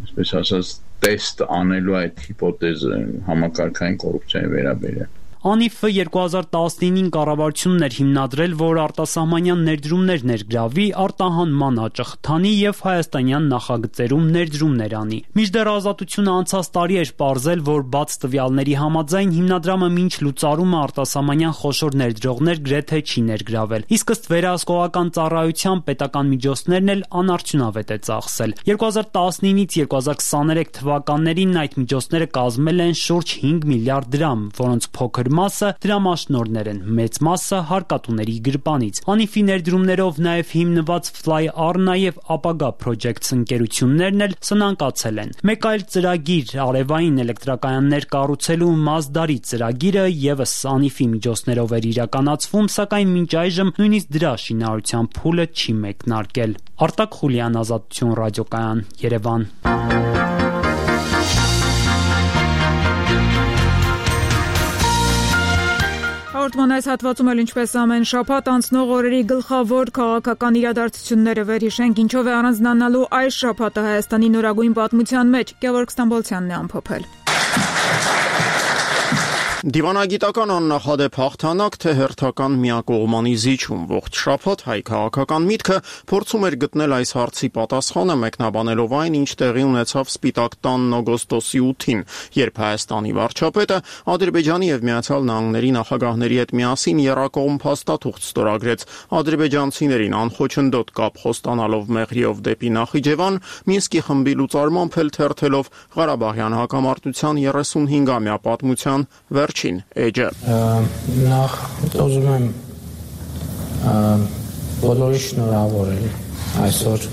Speaker 13: այսպես ասած, տեստ անելու այդ հիպոթեզը համակարգային կոռուպցիայի վերաբերյալ։
Speaker 6: Անիֆը երկու հազար տասնինին կառավարությունն էր հիմնադրել, որ արտասահմանյան ներդրումներ ներգրավի, արտահանման աճը խթանի եւ հայաստանյան նախագծերում ներդրումներ անի։ Մինչդեռ Ազատությունը անցած տարի էր պարզել, որ բաց տվյալների համաձայն հիմնադրամը մինչ լուծարումը արտասահմանյան խոշոր ներդրողներ գրեթե չի ներգրավել։ Իսկ ըստ վերահսկողական ծառայության պետական միջոցներն էլ անարդյունավետ է ծախսել։ երկու հազար տասնինից երկու հազար քսաներեք թվականներին այդ միջոցները կազմել են շուրջ հինգ միլիարդ դրամ, որոնց փոքր մասը դրամաշնորհներ են, մեծ մասը հարկատուների գրպանից։ Անիֆի ներդրումներով նաև հիմնված Fly Arna եւ Ապագա Projects ընկերություններն էլ սնանկացել են։ Մեկ այլ ծրագիր արևային էլեկտրակայաններ կառուցելու Մազդարի ծրագիրը եւս Անիֆի միջոցներով էր իրականացվում, սակայն մինչ այժմ նույնիսկ դրա շինարարության փուլը չի մեկնարկել։ Արտակ Խուլյան, Ազատություն ռադիոկայան, Երևան։
Speaker 1: Հաղորդման այս հատվածում էլ ինչպես ամեն շաբաթ անցնող օրերի գլխավոր քաղաքական իրադարձությունները վերհիշենք, ինչով է առանձնանալու այս շաբաթը Հայաստանի նորագույն պատմության մեջ։ Գևորգ Ստամբոլցյանն է ամփոփել։
Speaker 14: Դիվանագիտական աննախադեպ հաղթանակ, թե հերթական միակողմանի զիջում, ողջ շաբաթ հայ քաղաքական միտքը փորձում էր գտնել այս հարցի պատասխանը, մեկնաբանելով այն, ինչ տեղի ունեցավ Սպիտակ տանն օգոստոսի ութին, երբ Հայաստանի վարչապետը Ադրբեջանի եւ Միացյալ Նահանգների նախագահների հետ միասին եռակողմ փաստաթուղթ ստորագրեց, ադրբեջանցիներին անխոչնդոտ կապ խոստանալով Մեղրիով դեպի Նախիջևան, Մինսկի խմբի լուծարմամբ էլ թերթելով Ղարաբաղյան հակամարտության երեսունհինգամյա պատմության վերջին էջը։
Speaker 15: Նախ ուզում եմ բոլորի շնորհավորել այսօր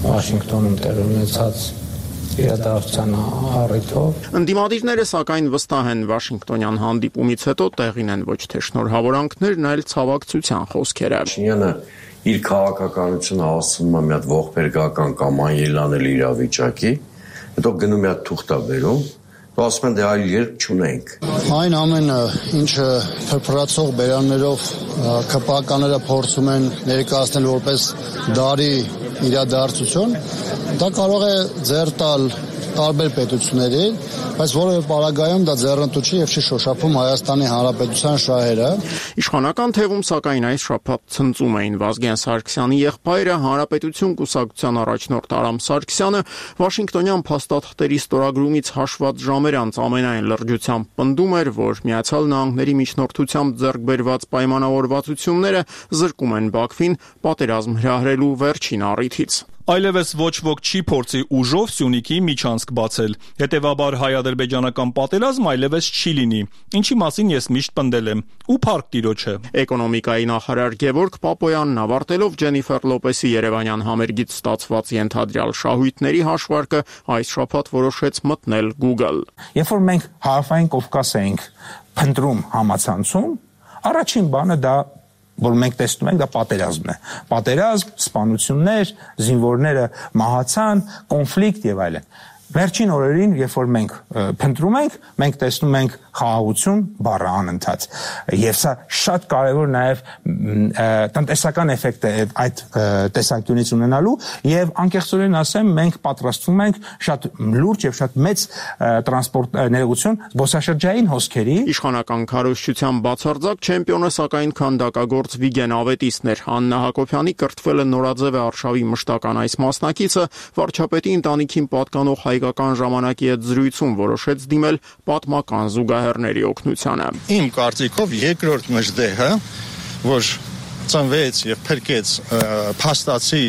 Speaker 15: Վաշինգտոնում տեղի ունեցած իրադարձության առիթով։
Speaker 14: Ընդդիմադիրները սակայն վստահ են Վաշինգտոնյան հանդիպումից հետո տեղին են ոչ թե շնորհավորանքներն, այլ ցավակցության խոսքերը։
Speaker 16: Փաշինյանը իր քաղաքականությունը հասցնում է մի հատ ողբերգական կամ անելանելի իրավիճակի, հետո գնում է թուղթա բերում, ասում են դե այլ երբ չունենք։
Speaker 17: Այն ամենը, ինչը փրփրացող բերաններով քպականները փորձում են ներկայացնել որպես դարի իրադարձություն, դա կարող է ձեռ տալ տարբեր պետությունների, բայց որևէ պարագայում դա ձեռնտու չի եւ չի շոշափում Հայաստանի Հանրապետության շահերը։
Speaker 14: Իշխանական թևում սակայն այս շաբաթ ցնծում էին Վազգեն Սարգսյանի եղբայրը, Հանրապետություն կուսակցության առաջնորդ Արամ Սարգսյանը, Վաշինգտոնյան փաստաթղթերի ստորագրումից հաշված ժամեր անց ամենայն լրջությամբ պնդում էր, որ Միացյալ Նահանգների միջնորդությամբ ձեռք բերված պայմանավորվածությունները զրկում են Բաքվին պատերազմ հրահրելու վերջին առիթից։
Speaker 5: Այլևս ոչ ոք չի փորձի ուժով Սյունիքի միջանցք բացել, հետևաբար հայ-ադրբեջանական պատերազմ այլևս չի լինի, ինչի մասին ես միշտ պնդել եմ, ու փառք տիրոջը։
Speaker 14: Էկոնոմիկայի նախարար Գևորգ Պապոյանն ավարտելով Ջենիֆեր Լոպեսի երևանյան համերգից ստացված ենթադրյալ շահույթների հաշվարկը այս շաբաթ որոշեց մտնել Google։
Speaker 18: Երբ որ մենք Հարավային Կովկաս էինք փնտրում համացանցում, առաջին բանը դա որ մենք տեսնում ենք դա պատերազմն է։ Պատերազմ, սպանություններ, զինվորները մահացան, կոնֆլիկտ եւ այլն։ Վերջին օրերին, երբ որ մենք փնտրում ենք, մենք տեսնում ենք խաղաղություն բառը անընդհատ։ Եվ սա շատ կարևոր նաև տնտեսական էֆեկտ է այդ տեսանկյունից ունենալու եւ անկեղծորեն ասեմ, մենք պատրաստվում ենք շատ լուրջ եւ շատ մեծ տրանսպորտ ներողություն զբոսաշրջային հոսքերի։
Speaker 14: Իշխանական քարոզչության բացարձակ չեմպիոնը սակայն քանդակագործ Վիգեն Ավետիսն էր։ Աննա Հակոբյանի կրթվել է Նորաձև արշավի մշտական այս մասնակիցը վարչապետի ընտանիքին պատկանող հայկական ժամանակի հետ զրույցում որոշեց դիմել պատմական զուգահեռների օգնությանը։
Speaker 19: Իմ կարծիքով երկրորդ մժդեհը, որ ծնվեց եւ փրկեց փաստացի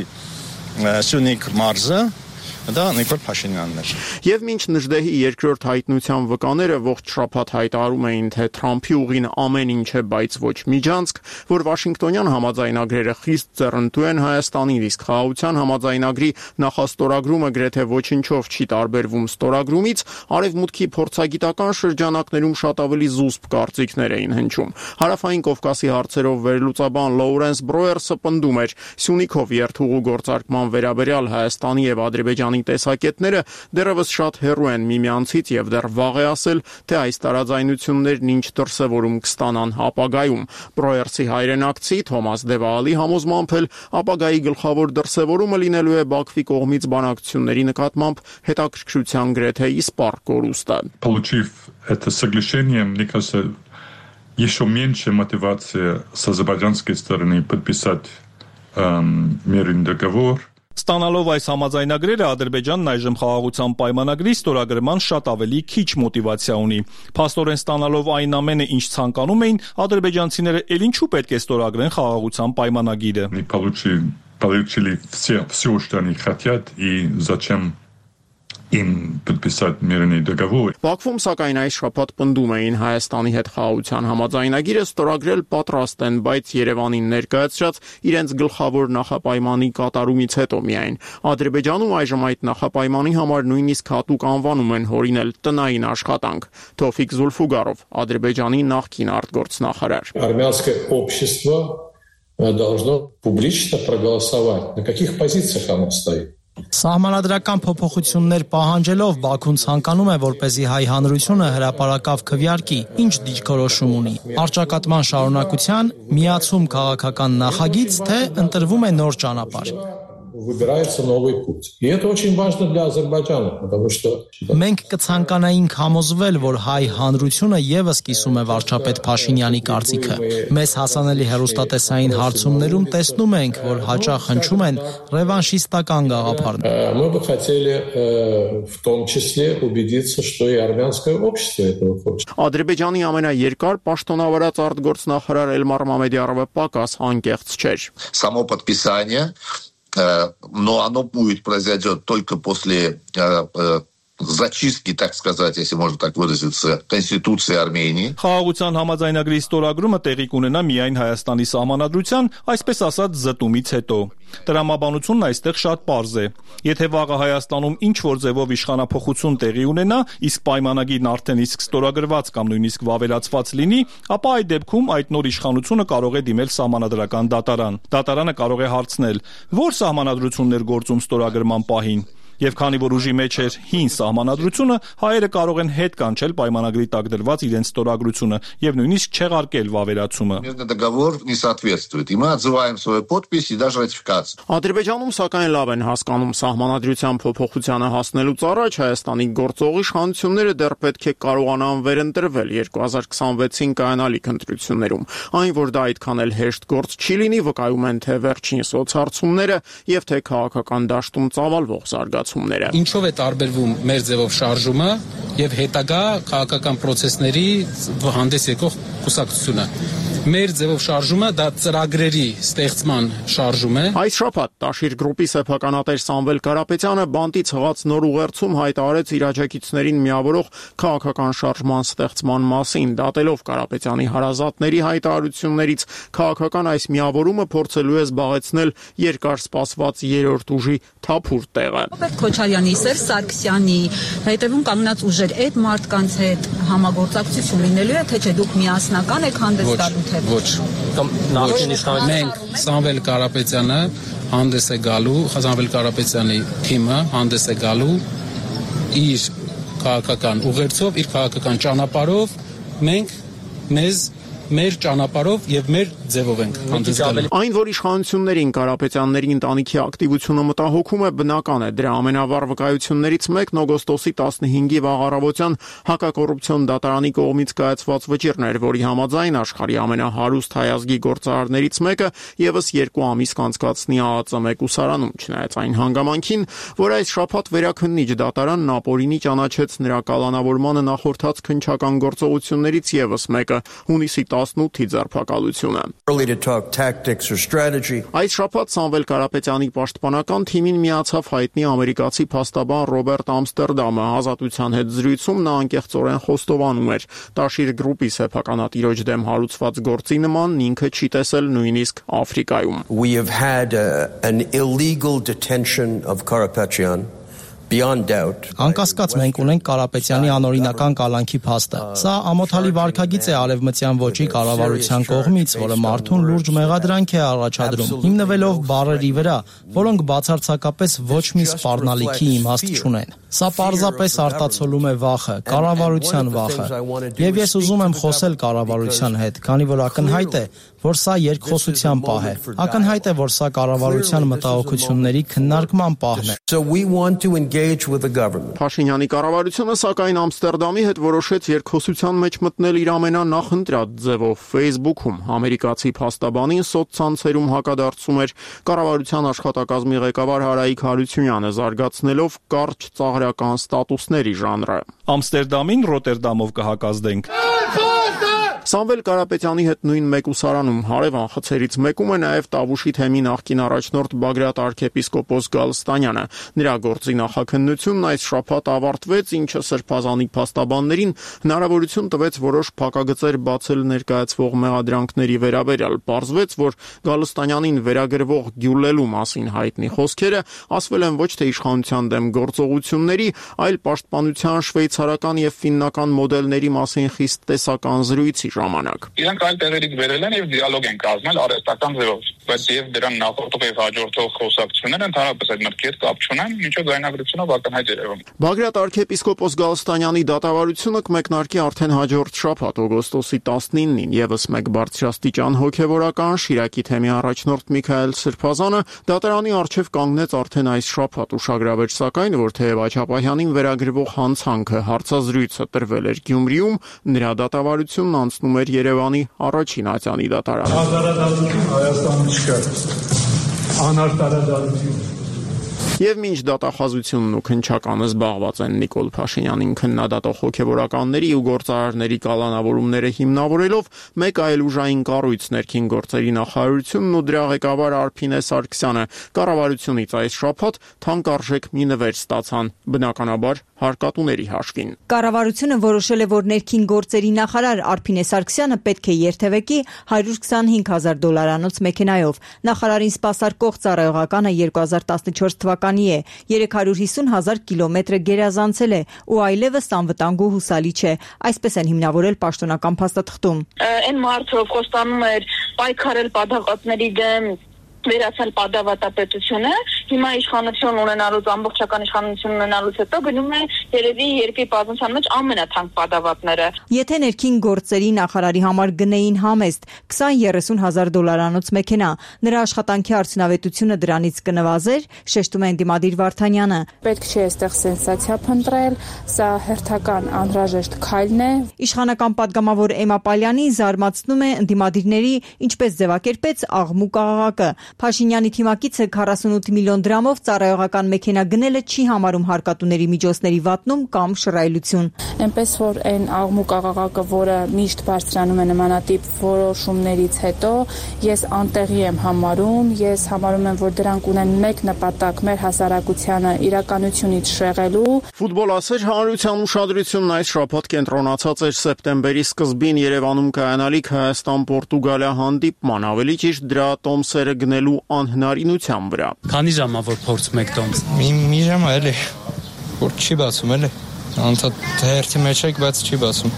Speaker 19: Սյունիք մարզը, դա Նիկոլ Փաշինյանն էր։
Speaker 14: Եվ մինչ Նժդեհի երկրորդ հայտնության վկաները ողջ շաբաթ հայտարարում էին, թե Թրամփի ուղին ամեն ինչ է, բայց ոչ միջանցք, որ Վաշինգտոնյան համաձայնագրերը խիստ ձեռնտու են Հայաստանին, իսկ խաղաղության համաձայնագրի նախաստորագրումը գրեթե ոչնչով չի տարբերվում ստորագրումից, արևմուտքի փորձագիտական շրջանակներում շատ ավելի զուսպ կարծիքներ էին հնչում։ Հարավային Կովկասի հարցերով վերլուծաբան Լոուրենս Բրոերսը պնդում էր, Սյունիքով երթուղու գործարկման վերաբերյալ Հայաստանի եւ Ադրբեջանի տեսակետները դեռևս շատ հեռու են միմյանցից եւ դեռ վաղ է ասել, թե այս տարաձայնություններն ինչ դրսևորում կստանան ապագայում։ Բրոերսի հայրենակցի Թոմաս Դևալի համոզմամբ էլ ապագայի գլխավոր դրսևորումը լինելու է Բաքվի կողմից բանակցությունների нկատմամբ հետաքրքրության գրեթե իսպառ կորուստը։
Speaker 20: Получив это соглашение, мне кажется, еще меньше мотивации с азербайджанской стороны подписать эм, мирный договор.
Speaker 5: Ստանալով այս համաձայնագրերը Ադրբեջանն այժմ խաղաղության պայմանագրի ստորագրման շատ ավելի քիչ մոտիվացիա ունի։ Փաստորեն ստանալով այն ամենը, ինչ ցանկանում էին, ադրբեջանցիները ել ինչու պետք է ստորագրեն խաղաղության պայմանագիրը։
Speaker 20: Получили все, все, что они хотят, и зачем им подписать мирный договор.
Speaker 14: Բաքվում սակայն այս շաբաթ պնդում էին Հայաստանի հետ խաղաղության համաձայնագիրը ստորագրել պատրաստ են, բայց Երևանին ներկայացրած իրենց գլխավոր նախապայմանի կատարումից հետո միայն։ Ադրբեջանում այժմ այդ նախապայմանի համար նույնիսկ հատուկ անվանում են հորինել տնային աշխատանք։ Թոֆիկ Զուլֆուգարով, Ադրբեջանի նախկին արտգործնախարար։
Speaker 21: Армянское общество должно публично проголосовать. На каких позициях оно стоит?
Speaker 7: Սահմանադրական փոփոխություններ պահանջելով Բաքուն ցանկանում է, որպեսզի հայ հանրությունը հրապարակավ քվեարկի, ինչ դիրքորոշում ունի։ Արճակատման շարունակության, միացում քաղաքական նախագիծ, թե ընտրվում է նոր ճանապարհ։
Speaker 21: Выбирается новый путь. И это очень важно для Азербайджана, потому что...
Speaker 7: Մենք կցանկանայինք համոզվել, որ հայ հանրությունը եւս կիսում է վարչապետ Փաշինյանի կարծիքը։ Մեզ հասանելի հեռուստատեսային հարցումներում տեսնում ենք, որ հաճախ հնչում են ռևանշիստական գաղափարներ։
Speaker 21: Мы бы хотели в том числе убедиться, что и армянское общество этого хочет.
Speaker 14: Ադրբեջանի ամենաերկար պաշտոնավարած արտգործնախարար Էլմար Մամեդիարովը պակաս անկեղծ չէր։
Speaker 3: Само подписание, но оно будет произойдет только после зачистки, так сказать, если можно так выразиться, Конституции Армении.
Speaker 5: Խաղաղության համաձայնագրի ստորագրումը տեղի կունենա միայն Հայաստանի սահմանադրության, այսպես ասած, զտումից հետո։ Տրամաբանությունն այստեղ շատ պարզ է։ Եթե վաղը Հայաստանում ինչ-որ ձևով իշխանափոխություն տեղի ունենա, իսկ պայմանագիրն արդեն իսկ ստորագրված կամ նույնիսկ վավերացված լինի, ապա այդ դեպքում այդ նոր իշխանությունը կարող է դիմել սահմանադրական դատարան։ Դատարանը կարող է հարցնել, որ սահմանադրություններ գործում ստորագրման պահին։ Եվ քանի որ ուժի մեջ էր հին սահմանադրությունը, հայերը կարող են հետ կանչել պայմանագրի տակ դրված իրենց ստորագրությունը եւ նույնիսկ չեղարկել վավերացումը։
Speaker 3: Договор не соответствует, и мы отзываем свою подпись и даже ратификацию.
Speaker 14: Ադրբեջանում սակայն լավ են հասկանում սահմանադրության փոփոխությանը հասնելուց առաջ Հայաստանի գործող իշխանությունները դեռ պետք է կարողանան վերընտրվել երկու հազար քսանվեցին կայանալիք ընտրություններում։ Այն, որ դա այդքան էլ հեշտ գործ չի լինի, վկայում են թե վերջին սոցհարցումները եւ թե քաղաքական դաշտում ծավալվող զարգացում։
Speaker 22: Ինչով է տարբերվում մեր ձևով շարժումը եւ հետագա քաղաքական process-ների հանդես եկող կուսակցությունը։ Մեր ձևով շարժումը դա ծրագրերի ստեղծման շարժում է։
Speaker 14: Այս շաբաթ Տաշիր գրուպի սեփականատեր Սամվել Կարապետյանը բանտից հղած նոր ուղերձում հայտարարեց իր աջակիցներին միավորող քաղաքական շարժման ստեղծման մասին, դատելով Կարապետյանի հարազատների հայտարարություններից քաղաքական այս միավորումը փորձելու է զբաղեցնել երկար սպասված երրորդ ուժի թափուր տեղը։
Speaker 23: Քոչարյանի, Սերժ Սարգսյանի հետևում կանգնած ուժեր այդ մարդկանց հետ համագործակցություն լինելու է, թե չէ դուք միասնական եք հանդես գալու թե
Speaker 22: ոչ։ Մենք Սամվել Կարապետյանը հանդես է գալու, Սամվել Կարապետյանի թիմը հանդես է գալու իր քաղաքական ուղերձով, իր քաղաքական ճանապարհով, մենք մեզ մեր ճանապարհով եւ մեր ձևով ենք հանդես գալու։
Speaker 14: Այն, որ իշխանություններին Կարապետյանների ընտանիքի ակտիվությունը մտահոգում է, բնական է։ Դրա ամենավառ վկայություններից մեկն օգոստոսի տասնհինգի վաղ առավոտյան հակակոռուպցիոն դատարանի կողմից կայացված վճիռն էր, որի համաձայն աշխարհի ամենահարուստ հայազգի գործարարներից մեկը եւս երկու ամիս կանցկացնի ԱԱԾ մեկուսարանում, չնայած այն հանգամանքին, որ այս շաբաթ վերաքննիչ դատարանն ապօրինի ճանաչեց նրա կալանավորմանը նախորդած քննչական գործողություններից եւս մեկը՝ հունիսի տասնութի ձերբակալությունը։ Այս շաբաթ Սամվել Կարապետյանի պաշտպանական թիմին միացավ հայտնի ամերիկացի փաստաբան Ռոբերտ Ամստերդամը։ Ազատության հետ զրույցում նա անկեղծորեն խոստովանում էր. Տաշիր գրուպի սեփականատիրոջ դեմ հարուցված գործի նման ինքը չի տեսել նույնիսկ Աֆրիկայում։
Speaker 24: We have had a, an illegal detention of Karapetyan.
Speaker 7: Անկասկած մենք ունենք Կարապետյանի անօրինական կալանքի փաստը։ Սա ամոթալի վարքագիծ է արևմտյան ոճի կառավարության կողմից, որը մարդուն լուրջ մեղադրանք է առաջադրում, հիմնվելով բառերի վրա, որոնք բացարձակապես ոչ մի սպառնալիքի իմաստ չունեն։ Սա պարզապես արտացոլում է վախը, կառավարության վախը։ Եվ ես ուզում եմ խոսել կառավարության հետ, քանի որ ակնհայտ է, որ սա երկխոսության պահ է։ Ակնհայտ է, որ սա կառավարության մտահոգությունների քննարկման պահն է։
Speaker 24: So we want to engage with the government.
Speaker 14: Փաշինյանի կառավարությունը սակայն Ամստերդամի հետ որոշեց երկխոսության մեջ մտնել իր ամենանախընտրած ձևով Facebook-ում։ Ամերիկացի փաստաբանին սոցցանցերում հակադարձում էր կառավարության աշխատակազմի ղեկավար Հարայիկ Հարությունյանը, զարգացնելով կարճ ծաղրական ստատուսների ժանրը։
Speaker 5: Ամստերդամին Ռոտերդամով կհակազդենք։
Speaker 14: Սամվել Կարապետյանի հետ նույն մեկուսարանում հարևան խցերից մեկում է նաև Տավուշի թեմի նախկին առաջնորդ Բագրատ arczepiskopos Գալստանյանը։ Նրա գործի նախաքննությունն այս շաբաթ ավարտվեց, ինչը սրբազանի փաստաբաններին հնարավորություն տվեց որոշ փակագծեր բացել ներկայացվող մեղադրանքների վերաբերյալ։ Պարզվեց, որ Գալստանյանին վերագրվող գյուլելու մասին հայտնի խոսքերը ասվել են ոչ թե իշխանության դեմ գործողությունների, այլ պաշտպանության շվեյցարական եւ ֆիննական մոդելների մասին խիստ տեսական զրույցի ժամանակ։
Speaker 25: Իրանք այլ տեղերից վերել են եւ դիալոգ են կազմել արհեստական ձևով։
Speaker 2: բայց եւ դրան նախորդող եւ հաջորդող խոսակցությունները ընդհանրապես այդ մտքի հետ կապ չունեն, ինչը ձայնագրությունով ակնհայտ երևում։
Speaker 14: Բագրատ arczepiskopos Գալստանյանի դատավարությունը կմեկնարկի արդեն հաջորդ շաբաթ օգոստոսի տասնինին, եւս մեկ բարձրաստիճան հոգեվորական Շիրակի թեմի առաջնորդ Միքայել Սրբազանը դատարանի առջև կանգնեց արդեն այս շաբաթ ուշագրավեր, սակայն որ թեև Աչապահյանին վերագրվող հանցանքը հարցազրույցը տրվել էր Գյումրիում, նրա դատավարությունն անցնում էր Երևանի առաջին ատյանի դատարան։
Speaker 4: Հազարադատություն Հայաստանում չկա, անարտարադատություն։
Speaker 14: Եվ մինչ դատախազությունն ու քննչականը զբաղված են Նիկոլ Փաշինյանին քննադատող հոգևորականների ու գործարարների կալանավորումները հիմնավորելով, մեկ այլ ուժային կառույց ներքին գործերի նախարարությունն ու դրա ղեկավար Արփինե Սարգսյանը կառավարությունից այս շաբաթ թանկարժեք մի նվեր ստացան, բնականաբար հարկատուների հաշվին։
Speaker 8: Կառավարությունը որոշել է, որ ներքին գործերի նախարար Արփինե Սարգսյանը պետք է երթևեկի հարյուր քսանհինգ հազար դոլարանոց մեքենայով։ Նախարարին սպասարկող ծառայողականը երկու հազար տասնչորս թվականի է, երեք հարյուր հիսուն հազար կիլոմետրը գերազանցել է ու այլևս անվտանգ ու հուսալի չէ, այսպես են հիմնավորել պաշտոնական փաստաթղթում։
Speaker 12: Այն մարդը խոստանում էր պայքարել պատահածների դեմ, վերացնել պատավատապետությունը, հիմա իշխանություն ունենալուց, ամբողջական իշխանություն ունենալուց հետո գնում է երևի երկրի պատմության մեջ ամենաթանկ պատավատները։
Speaker 8: Եթե ներքին գործերի նախարարի համար գնեին համեստ քսան երեսուն հազար դոլարանոց մեքենա, նրա աշխատանքի արդյունավետությունը դրանից կնվազեր, շեշտում է ընդդիմադիր Վարդանյանը։
Speaker 9: Պետք չէ այստեղ սենսացիա փնտրել, սա հերթական անհրաժեշտ քայլն է։
Speaker 8: Իշխանական պատգամավոր Էմա Պալյանին զարմացնում է ընդդիմադիրների ինչպես ձևակերպեց աղմուկ աղաղակը։ Փաշինյանի թիմակիցը քառասունութ միլիոն դրամով ծառայողական մեքենա գնելը չի համարում հարկատուների միջոցների վատնում կամ շռայլություն։
Speaker 9: Այնպես որ այն աղմուկ աղաղակը, որը միշտ բարձրանում է նմանատիպ որոշումներից հետո, ես անտեղի եմ համարում, ես համարում եմ, որ դրանք ունեն մեկ նպատակ՝ մեր հասարակությանը իրականությունից շեղելու։
Speaker 14: Ֆուտբոլասեր հանրության ուշադրությունն այս շաբաթ կենտրոնացած էր սեպտեմբերի սկզբին Երևանում կայանալիք Հայաստան-Պորտուգալիա հանդիպման, ավելի ճիշտ դրա տոմսերը գնելու անհնարինության վրա։
Speaker 6: Քանի ժամա որ փորձում եք տոմս։
Speaker 25: Մի մի ժամ էլի, որ չի բացում էլի։ Անցած հերթի մեջ եք, բայց չի բացում։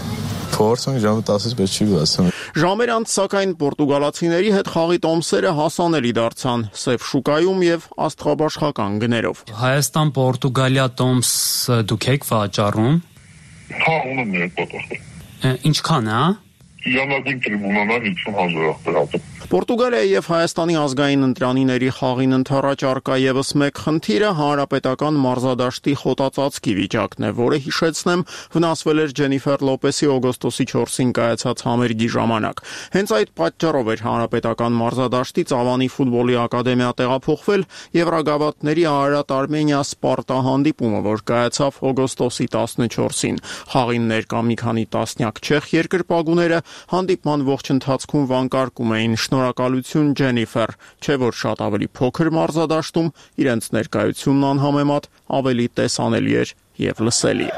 Speaker 25: Փորձում ժամը տասից բայց չի բացում։
Speaker 14: Ժամեր անց սակայն պորտուգալացիների հետ խաղի տոմսերը հասանելի դարձան սև շուկայում եւ աստղաբաշխական գներով։
Speaker 6: Հայաստան-Պորտուգալիա տոմս դուք եք վաճառում։
Speaker 26: Հա, ունեմ մեր պատասխան։
Speaker 6: Ինչքան է, հա?
Speaker 26: Յանագույն տրիբունանան հինգսուն հազար ախտերատը։
Speaker 14: Պորտուգալիայի եւ Հայաստանի ազգային ընտրանիների խաղին ընթരാճ արկա եւս մեկ խնդիրը հանրապետական մարզադաշտի խոտածածկի վիճակն է, որը հիշեցնեմ վնասվել էր Ջենիֆեր Լոպեսի օգոստոսի չորսին կայացած համերգի ժամանակ։ Հենց այդ պատճառով էր հանրապետական մարզադաշտից Ավանի ֆուտբոլի ակադեմիա տեղափոխվել Եվրագավաթների Արարատ Արմենիա Սպարտա հանդիպումը, որ կայացավ օգոստոսի տասնչորսին։ Խաղին ներկա մի քանի տասնյակ չեխ երկրպագուները հանդիպման ողջ ընթացքում վանկարկում էին շնորհակալություն Ջենիֆեր, չէ որ շատ ավելի փոքր մարզադաշտում իրենց ներկայությունն անհամեմատ ավելի տեսանելի էր եւ լսելի։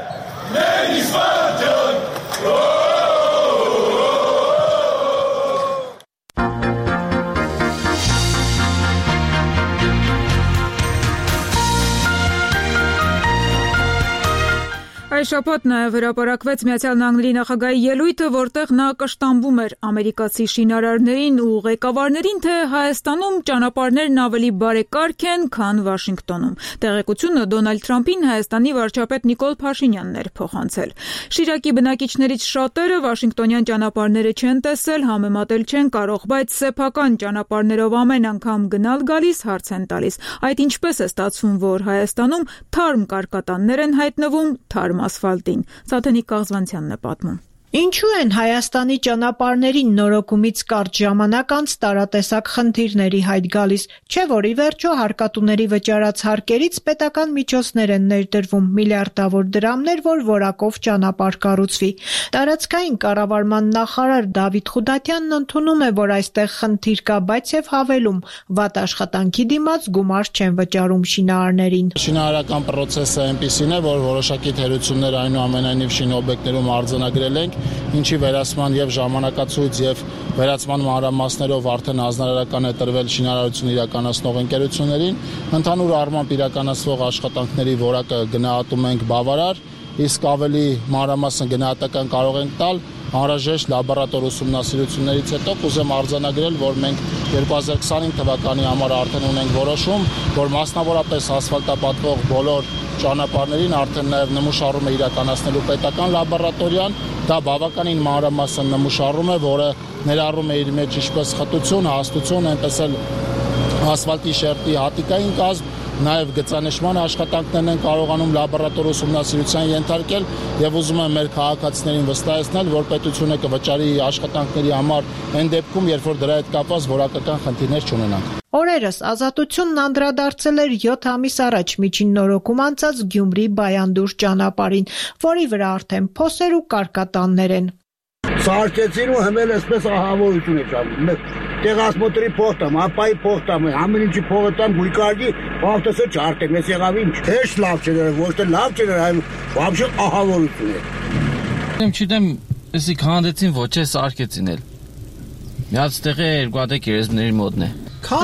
Speaker 1: Այս շաբաթ նաև հրապարակվեց Միացյալ Նահանգների նախագահի ելույթը, որտեղ նա կշտամբում էր ամերիկացի շինարարներին ու ղեկավարներին, թե Հայաստանում ճանապարհներն ավելի բարեկարգ են, քան Վաշինգտոնում։ Տեղեկությունը Դոնալդ Թրամփին Հայաստանի վարչապետ Նիկոլ Փաշինյանն էր փոխանցել։ Շիրակի բնակիչներից շատերը Վաշինգտոնյան ճանապարհները չեն տեսել, համեմատել չեն կարող, բայց սեփական ճանապարհներով ամեն անգամ գնալ-գալիս հարց են տալիս։ Այդ ինչպես է ստացվում, որ Հայաստանում թարմ կարկատաններ են հայտնվում թարմ ասֆալտին։ Սաթենիկ Կաղզվանցյանն է պատմում։
Speaker 27: Ինչու են Հայաստանի ճանապարհներին նորոգումից կարճ ժամանակ անց տարատեսակ խնդիրների հայտ գալիս, չէ որ ի վերջո հարկատուների վճարած հարկերից պետական միջոցներ են ներդրվում միլիարդավոր դրամներ, որ որակով ճանապարհ կառուցվի։ Տարածքային կառավարման նախարար Դավիթ Խուդատյանն ընդունում է, որ այստեղ խնդիր կա, բայց եւ հավելում, վատ աշխատանքի դիմաց գումար չեն վճարում շինարարներին։
Speaker 28: Շինարարական process-ը այնպիսին է, որ որոշակի թերություններ այնուամենայնիվ շինօբյեկտներում արձանագրել ենք, ինչի վերացման եւ ժամանակացույց եւ վերացման մանրամասներով արդեն հանրարարական է տրվել շինարարություն իրականացնող ընկերություններին։ Ընդհանուր առմամբ իրականացվող աշխատանքների որակը գնահատում ենք բավարար, իսկ ավելի մանրամասն գնահատական կարող ենք տալ անհրաժեշտ լաբորատոր ուսումնասիրություններից հետո կուզեմ արձանագրել, որ մենք երկու հազար քսանհինգ թվականի համար արդեն ունենք որոշում, որ մասնավորապես ասֆալտապատվող բոլոր ճանապարհներին արդեն նաև նմուշառում է իրականացնելու պետական լաբորատորիան, դա բավականին մանրամասն նմուշառում է, որը ներառում է իր մեջ ինչպես խտություն, հաստություն, այնպես էլ ասֆալտի շերտի հատիկային կազմ, նաև գծանշման աշխատանքներն են կարողանում լաբորատոր ուսումնասիրության ենթարկել եւ ուզում եմ մեր քաղաքացիներին վստահեցնել, որ պետությունը կվճարի աշխատանքների համար այն դեպքում, երբ որ դրա հետ կապված որակական խնդիրներ չունենանք։
Speaker 27: Օրերս Ազատությունն անդրադարձել էր յոթ ամիս առաջ միջին նորոգում անցած Գյումրի-Բայանդուր ճանապարհին, որի վրա արդեն փոսեր ու կարկատաններ են։
Speaker 10: Սարքեցին ու հմել այսպես ահավորություն է ճանում։ Տեղասմոտրի փոխտամ, ապայի փոխտամ, ամեն ինչի փոխտամ, գույկարգի, ավտոսը չարտեմ, ես եղավ ինչ։ Հեշտ լավ չէ, ոչ թե լավ չէ, այլ вообще ահավորություն է։
Speaker 11: Եմ չիտեմ, էսի քանդեցին ոչ է սարքեցին էլ։ Միած տեղը երկու հատ գերեզմների մոտն է։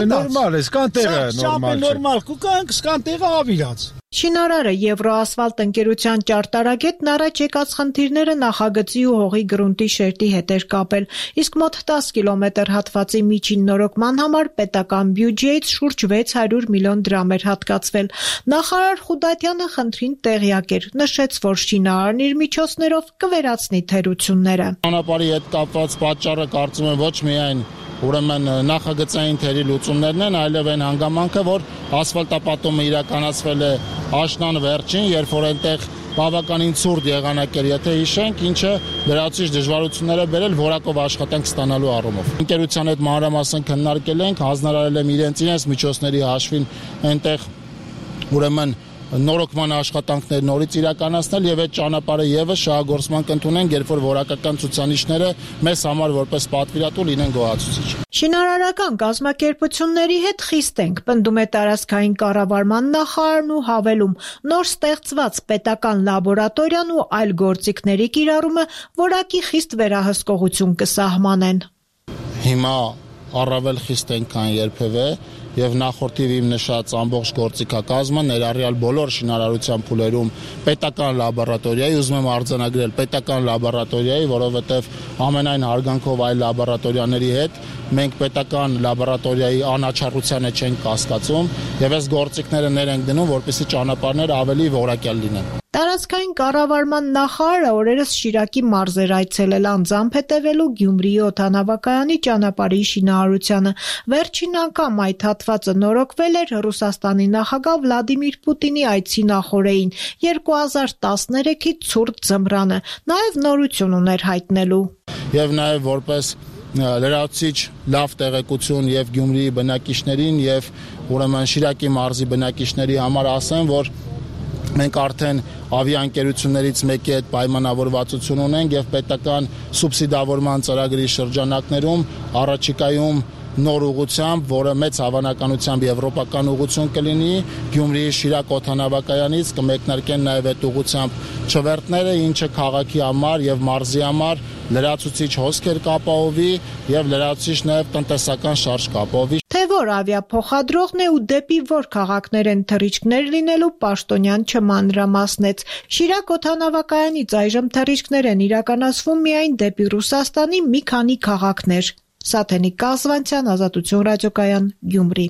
Speaker 10: Նորմալ է, սկան տեղը նորմալ չէ։ Նորմալ, կուկանք սկան տեղը ավիրած։
Speaker 27: Շինարարը Եվրոասֆալտ ընկերության ճարտարագետն առաջ եկած խնդիրները նախագծի ու հողի գրունտի շերտի հետ էր կապել, իսկ մոտ տասը կիլոմետր հատվածի միջին նորոգման համար պետական բյուջեից շուրջ վեց հարյուր միլիոն դրամ էր հատկացվել։ Նախարար Խուդատյանը խնդրին տեղյակ էր, նշեց, որ շինարարն իր միջոցներով կվերացնի թերությունները։
Speaker 28: Ճանապարհի հետ կապված պատճառը կարծում եմ ոչ միայն ուրեմն նախագծային թերի լուծումներն են, այլև այն հանգամանքը, որ ասֆալտապատումը իրականացվել է աշնան վերջին, երբ որ այնտեղ բավականին ցուրտ եղանակ էր, եթե հիշենք, ինչը լրացուցիչ դժվարություններ է բերել որակով աշխատանք ստանալու առումով։ Ընկերության հետ մանրամասն քննարկել ենք, հանձնարարել եմ իրենց իրենց միջոցների հաշվին այնտեղ ուրեմն նորոգման աշխատանքներ նորից իրականացնել եւ այդ ճանապարհը եւս շահագործման կընդունեն, երբ որ որակական ցուցանիշները մեզ համար որպես պատվիրատու լինեն գոհացուցիչ։
Speaker 27: Շինարարական կազմակերպությունների հետ խիստ ենք, պնդում է տարածքային կառավարման նախարարն ու հավելում, նոր ստեղծված պետական լաբորատորիան ու այլ գործիքների կիրառումը որակի խիստ վերահսկողություն կսահմանեն։
Speaker 28: Հիմա առավել խիստ ենք, քան երբևէ եւ նախորդիվ իմ նշած ամբողջ գործիքակազմը ներառյալ բոլոր շինարարության փուլերում պետական լաբորատորիայի, ուզում եմ արձանագրել պետական լաբորատորիայի, որովհետեւ ամենայն հարգանքով այլ լաբորատորիաների հետ մենք պետական լաբորատորիայի անաչառությանը չենք կասկածում եւ այս գործիքները ներ ենք դնում, որպեսզի ճանապարհները ավելի որակյալ լինեն։
Speaker 27: Տարածքային կառավարման նախարարը օրերս Շիրակի մարզեր այցելել անձամբ հետևելու Գյումրիի օդանավակայանի ճանապարհի շինարարությանը։ Վերջին անգամ այդ հատվածը նորոգվել էր Ռուսաստանի նախագահ Վլադիմիր Պուտինի այցի նախօրեին երկու հազար տասներեքի ցուրտ ձմռանը, նաև նորություն ուներ հայտնելու։
Speaker 28: Եվ նաև որպես լրացուցիչ լավ տեղեկություն եւ Գյումրիի բնակիչներին եւ ուրեմն Շիրակի մարզի բնակիչների համար ասեմ, որ մենք արդեն ավիաընկերություններից մեկի հետ պայմանավորվածություն ունենք եւ պետական սուբսիդավորման ծրագրի շրջանակներում առաջիկայում նոր ուղղությամբ, որը մեծ հավանականությամբ եվրոպական ուղղություն կլինի, Գյումրիի Շիրակ օդանավակայանից կմեկնարկեն նաև այդ ուղղությամբ չվերթները, ինչը քաղաքի համար եւ մարզի համար լրացուցիչ հոսքեր կապահովի եւ լրացուցիչ նաև տնտեսական շարժ կապահովի։
Speaker 27: Թե որ ավիափոխադրողն է ու դեպի որ քաղաքներ են թռիչքներ լինելու, Պաշտոնյան չմանրամասնեց։ Շիրակ օդանավակայանից այժմ թռիչքներ են իրականացվում միայն դեպի Ռուսաստանի մի քանի քաղաքներ։ Սաթենիկ Կազվանցյան, Ազատություն ռադիոկայան, Գյումրի։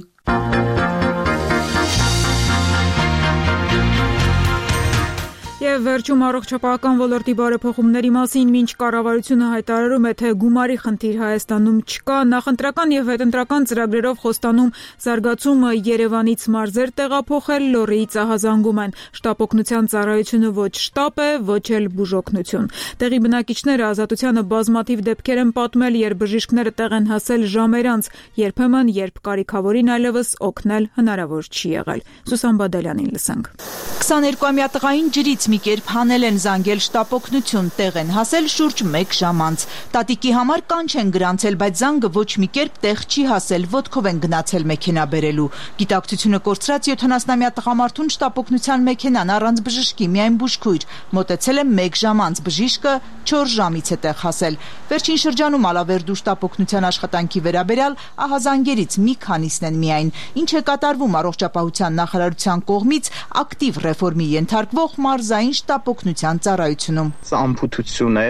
Speaker 1: Եվ վերջում առողջապահական ոլորտի բարեփոխումների մասին մինչ կառավարությունը հայտարարում է, թե գումարի խնդիր Հայաստանում չկա, նախընտրական եւ հետընտրական ծրագրերով խոստանում զարգացումը Երևանից մարզեր տեղափոխել, լոռիից ահազանգում են։ Շտապօգնության ծառայությունը ոչ շտապ է, ոչ էլ բուժօգնություն։ Տեղի բնակիչները Ազատությանը բազմաթիվ դեպքեր են պատմել, երբ բժիշկները տեղ են հասել ժամեր անց, երբեմն երբ կարիքավորին այլևս օգնել հնարավոր չի եղել։ Սուսան Բադալյանին լսենք։
Speaker 13: քսաներկուամյա տղային ջրից մի կերպ հանել են զանգել շտապօգնություն, տեղ են հասել շուրջ մեկ ժամ անց։ Տատիկի համար կանչ են գրանցել, բայց զանգը ոչ մի կերպ տեղ չի հասել, ոտքով են գնացել մեքենա բերելու։ Գիտակցությունը կորցրած յոթանասնամյա տղամարդուն շտապօգնության մեքենան առանց բժշկի, միայն բուժքույր, մոտեցել է մեկ ժամ անց, բժիշկը չորս ժամից է տեղ հասել։ Վերջին շրջանում Ալավերդու շտապօգնության աշխատանքի վերաբերյալ ահազանգերից մի քանիսն են միայն, ինչ է կատարվում առողջապահության նախարարության կողմից ակտիվ ռեֆորմի ենթարկվող մարզային շտապօգնության ծառայությունում։
Speaker 15: Սա ամփոփություն է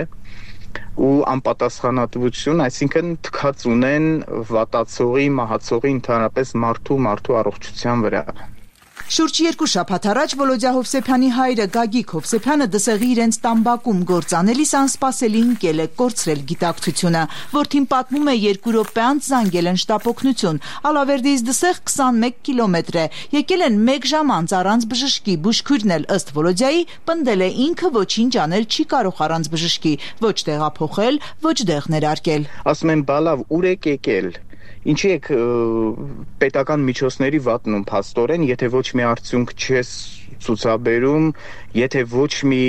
Speaker 3: ու անպատասխանատվություն, այսինքն թքած ունեն վատացողի, մահացողի ընդհանրապես մարդու մարդու առողջության վրա։
Speaker 13: Շուրջ երկու շաբաթ առաջ Վոլոդյա Հովսեփյանի հայրը Գագիկ Հովսեփյանը դսեղի իրենց տամբակում գործանելիս անսպասելի ընկել է, կորցրել գիտակցությունը։ Որդին պատմում է երկու րոպե անց զանգել են շտապօգնություն։ Ալավերդիից դսեղ քսանմեկ կիլոմետր է։ Եկել են մեկ ժամ անց առանց բժշկի, բուժքույրն էլ ըստ Վոլոդյայի պնդել է ինքը ոչինչ անել չի կարող առանց բժշկի, ոչ տեղափոխել, ոչ դեղ ներարկել։
Speaker 3: Ասում են բալավ ուր եք եկել։ Ինչի եք պետական միջոցների վատնում փաստորեն, եթե ոչ մի արդյունք չես ցուցաբերում, եթե ոչ մի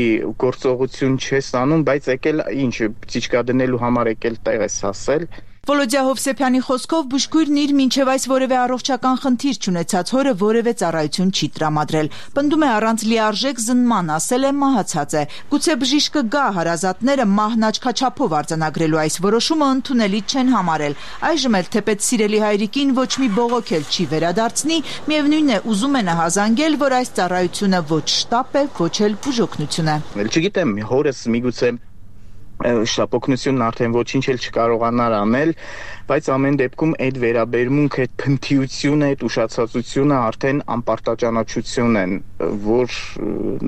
Speaker 3: գործողություն չես անում, բայց եկել ինչ ծիճկա դնելու համար եկել տեղ ես հասել։
Speaker 13: Վոլոդյա Հովսեփյանի խոսքով բուժքույրն իր մինչև այս որևէ առողջական խնդիր չունեցած հորը որևէ ծառայություն չի տրամադրել։ Պնդում է առանց լիարժեք զննման, ասել է մահացած է։ Գուցե բժիշկը գա հարազատները մահն աչքաչափով արձանագրելու այս որոշումը ընդունելի չեն համարել։ Այժմ էլ թեպետ սիրելի հայրիկին ոչ մի բողոք էլ չի վերադարձնի, միևնույնն է ուզում է նահազանգել, որ այս ծառայությունը ոչ շտապ է, ոչ էլ բուժօգնություն է։
Speaker 3: Չգիտեմ, հորս միգուցե շտապօգնությունն արդեն ոչինչ էլ չկարողանար անել, բայց ամեն դեպքում այդ վերաբերմունքը, այդ փնթիությունը, այդ ուշացածությունը արդեն անպարտաճանաչություն են, որ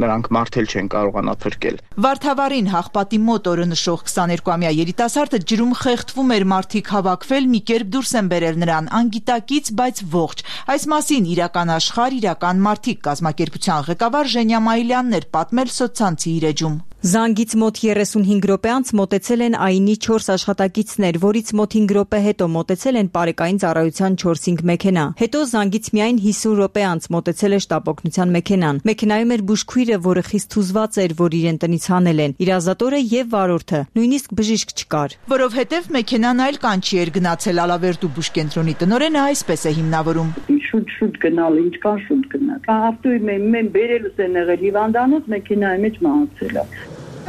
Speaker 3: նրանք մարդել չեն կարողանա փրկել։
Speaker 13: Վարդավառին հաղպատի մոտ օրը նշող քսաներկուամյա երիտասարդը ջրում խեղդվում էր, մարդիկ հավաքվել, մի կերպ դուրս են բերել նրան, անգիտակից, բայց ողջ։ Այս մասին իրական աշխարհ, իրական մարդիկ կազմակերպության ղեկավար Ժենյա Մայիլյանն էր պատմել սոցցանցի իր էջում։
Speaker 8: Զանգից մոտ երեսունհինգ րոպե անց մոտեցել են ԱԻՆ-ի չորս աշխատակիցներ, որից մոտ հինգ րոպե հետո մոտեցել են պարեկային ծառայության չորս-հինգ մեքենա։ Հետո զանգից միայն հիսուն րոպե անց մոտեցել է շտապօգնության մեքենան։ Մեքենայում էր բուժքույրը, որը խիստ հուզված էր, որ իրեն տնից հանել են, իր ազատորը եւ վարորդը, նույնիսկ բժիշկ չկար։
Speaker 13: Որովհետեւ մեքենան այլ կանչի էր գնացել, Ալավերդու բուժկենտրոնի տնօրենը այսպես է հիմնավորում։
Speaker 15: Շուտ-շուտ գնալ, ինչքան շուտ գնալ։ Ավտոյի մեն բերելուս են եղել հիվանդանոց, մեքենայի մեջ մահացել է։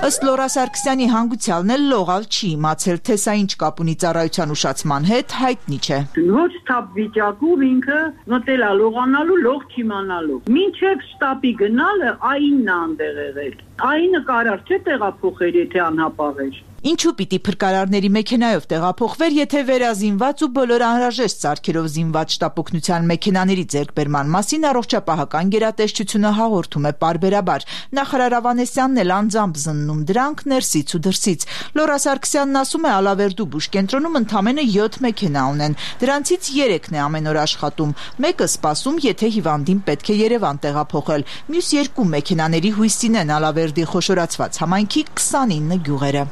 Speaker 13: Ըստ Լորա Սարգսյանի հանգուցյալն էլ լողալ չի իմացել, թե սա ինչ կապ ունի ծառայության ուշացման հետ, հայտնի չէ։
Speaker 15: Ոչ թափ վիճակում ինքը մտել է լողանալու, լող չիմանալու։ Մինչև շտապի գնալը ԱԻՆ-ն է անդեղ եղել։ ԱԻՆ-ը կարար չէ տեղափոխել, եթե անհապաղ էր։
Speaker 13: Ինչու պիտի փրկարարների մեքենայով տեղափոխվեր, եթե վերազինված ու բոլոր անհրաժեշտ սարքերով զինված շտապօգնության մեքենաների ձեռքբերման մասին առողջապահական գերատեսչությունը հաղորդում է պարբերաբար։ Նախարար Ավանեսյանն էլ անձամբ զննում դրանք ներսից ու դրսից։ Լորա Սարգսյանն ասում է, Ալավերդու բուժկենտրոնում ընդամենը յոթ մեքենա ունեն։ Դրանցից երեքն է ամեն օր աշխատում։ Մեկը սպասում, եթե հիվանդին պետք է Երևան տեղափոխել։ Մյուս երկու մեքենաների հույսին են Ալավերդի խոշորացված համայնքի քսանինը գյուղերը։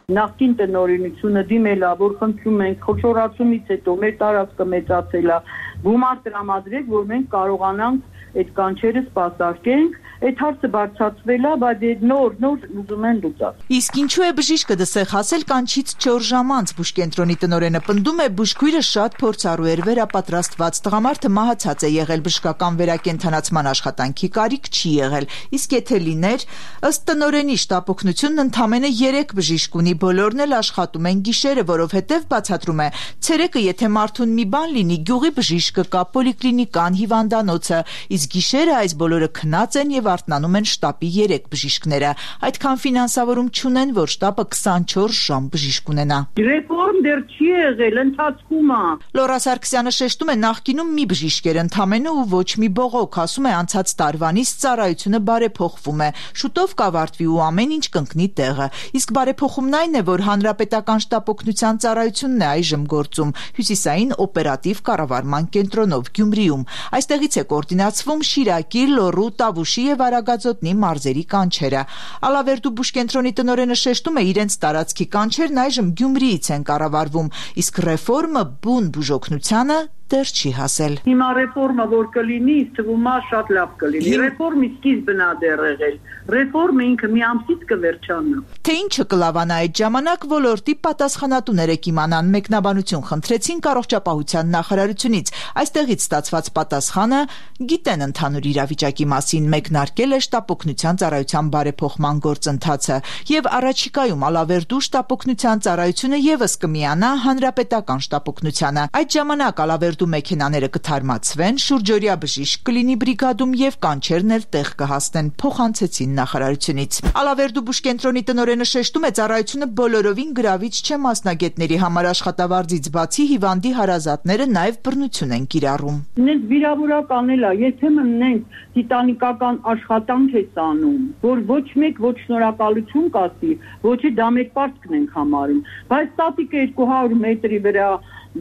Speaker 15: Նախկին տնօրինությունը դիմել է, որ խնդրում ենք խոշորացումից հետո մեր տարածքը մեծացել է, գումար տրամադրեք, որ մենք կարողանանք այդ կանչերը սպասարկենք, այդ հարցը բարձրացվել է, բայց այդ նոր նոր ուզում են լուծել։
Speaker 13: Իսկ ինչու է բժիշկը դսեղ հասել կանչից չորս ժամ անց, բուժկենտրոնի տնօրենը պնդում է, բուժքույրը շատ փորձառու էր, վերապատրաստված, տղամարդը մահացած է եղել, բժշկական վերակենդանացման աշխատանքի կարիք չի եղել։ Իսկ եթե լիներ, ըստ տնօրենի շտապօգնությունն ընդամենը երեք բժիշկ ունի, բոլորն էլ աշխատում են գիշերը, որովհետև բացատրում է, ցերեկը եթե մարդուն մի բան լինի, գյուղի բժիշկը կա, պոլիկլինիկան, հիվանդանոցը, իսկ գիշերը այս բոլորը քնած են եւ արթնանում են շտապի երեք բժիշկները։ Այդքան ֆինանսավորում չունեն, որ շտապը քսանչորս ժամ բժիշկ ունենա։
Speaker 15: Ռեֆորմ դեռ չի եղել, ընթացքում է։
Speaker 13: Լորա Սարգսյանը շեշտում է, նախկինում մի բժիշկ էր ընդամենը ու ոչ մի բողոք, ասում է, անցած տարվանից ծառայությունը բարեփոխվում է, շուտով կավարտվի ու ամեն ինչ կընկնի տեղը։ Իսկ բարեփոխումն այն է, որ հանրապետական շտապօգնության ծառայությունն է այժմ գործում հյուսիսային օպերատիվ կառավարման կենտրոնով Գյումրիում։ Այստեղից է կոորդինացվում Շիրակի, Լոռու, Տավուշի եւ Արագածոտնի մարզերի կանչերը։ Ալավերդու բուժկենտրոնի տնօրենը շեշտում է, իրենց տարածքի կանչերն այժմ Գյումրիից են կառավարվում, իսկ ռեֆորմը բուն բուժօգնությանը դեռ չի հասել։
Speaker 15: Հիմա ռեֆորմը որ կլինի, թվում է շատ լավ կլինի։ Ռեֆորմի սկիզբն է դեռ եղել։ Ռեֆորմը ինքը մի ամսից կվերջանա։
Speaker 13: Թե ինչը կլավանա այդ ժամանակ, ոլորտի պատասխանատուները կիմանան, մեկնաբանություն խնդրեցին առողջապահության նախարարությունից։ Այստեղից ստացված պատասխանը՝ գիտեն ընդհանուր իրավիճակի մասին, մեկնարկել քննարկել է շտապօգնության ծառայության բարեփոխման գործընթացը եւ առաջիկայում Ալավերդու շտապօգնության ծառայությունը եւս կմիանա հանրապետական շտապօգնությանը։ Այդ ժամանակ Ալավերդու մեքենաները կթարմացվեն, շուրջօրյա բժիշկ կլինի բրիգադում եւ կանչերն էլ տեղ կհասնեն, փոխանցեցին նախարարությունից։ Ալավերդու բուժկենտրոնի տնօրենը շեշտում է, ծառայությունը բոլորովին գրավիչ չէ մասնագետների համար, աշխատավարձից բացի հիվանդի հարազատները նաեւ բռնություն են կիրառում։
Speaker 15: Նենց վիրավորական էլ է, եթե մնենք տիտանիկական աշխատանք է անում, որ ոչ մեկ ոչ շնորհակալություն կասի, ոչի դա մեր պարտքն ենք համարում, բայց տատիկը երկու հարյուր մետրի վրա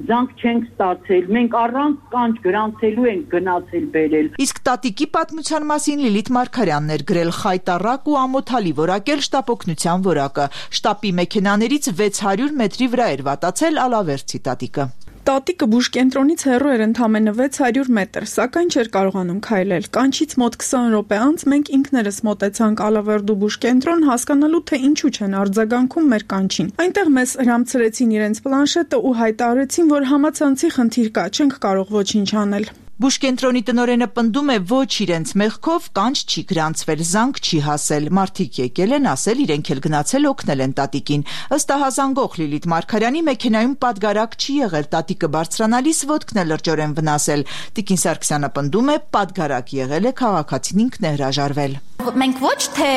Speaker 15: զանգ չենք ստացել, մենք առանց կանչ գրանցելու ենք գնացել բերել։
Speaker 13: Իսկ տատիկի պատմության մասին Լիլիթ Մարգարյանն էր գրել խայտառակ ու ամոթալի որակել շտապօգնության որակը։ Շտապի մեքենաներից վեց հարյուր մետրի վրա էր վատացել Ալավերդցի տատիկը։
Speaker 16: Տատիկը բուժկենտրոնից հեռու էր ընդամենը վեց հարյուր մետր, սակայն չէր կարողանում քայլել։ Կանչից մոտ քսան րոպե անց մենք ինքներս մոտեցանք Ալավերդու բուժկենտրոն, հասկանալու թե ինչու չեն արձագանքում մեր կանչին։ Այնտեղ մեզ հրամցրեցին իրենց պլանշետը ու հայտարարեցին, որ համացանցի խնդիր կա, չենք կարող ոչինչ անել։
Speaker 13: Բուժկենտրոնի տնօրենը պնդում է, ոչ իրենց մեղքով կանչ չի գրանցվել, զանգ չի հասել։ Մարդիկ եկել են ասել, իրենք էլ գնացել օգնել են տատիկին։ Ըստ ահազանգող Լիլիթ Մարգարյանի մեքենայում պատգարակ չի եղել, տատիկը բարձրանալիս ոտքն է լրջորեն վնասել։ Տիկին Սարգսյանը պնդում է, պատգարակ եղել է, քաղաքացին ինքն է հրաժարվել։
Speaker 12: Մենք ոչ թե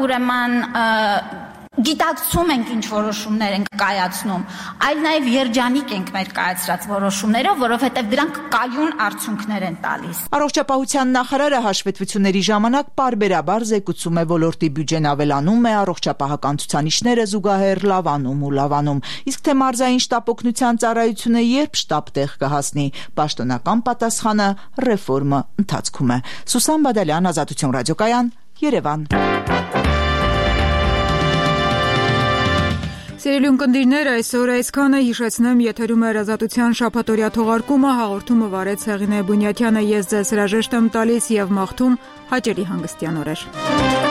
Speaker 12: ուրեմն գիտակցում ենք ինչ որոշումներ ենք կայացնում, այլ նաև երջանիկ ենք մեր կայացրած որոշումներով, որովհետև դրանք կայուն արդյունքներ են տալիս։
Speaker 13: Առողջապահության նախարարը հաշվետվությունների ժամանակ պարբերաբար զեկուցում է, ոլորտի բյուջեն ավելանում է, առողջապահական ցուցանիշները զուգահեռ լավանում ու լավանում։ Իսկ թե մարզային շտապօգնության ծառայությունը երբ շտապտեղ կհասնի, պաշտոնական պատասխանը ռեֆորմը ընթացքում է։ Սուսան Բադալյան, Ազատություն ռադիոկայան, Երևան։
Speaker 1: Սիրելի ունկնդիրներ, այսօր այսքանը, հիշեցնեմ, եթերում է Ազատության շաբաթօրյա թողարկումը, հաղորդումը վարեց Հեղինե Բունյաթյանը, ես ձեզ հրաժեշտ եմ տալիս եւ մաղթում հաճելի հանգստյան օրեր։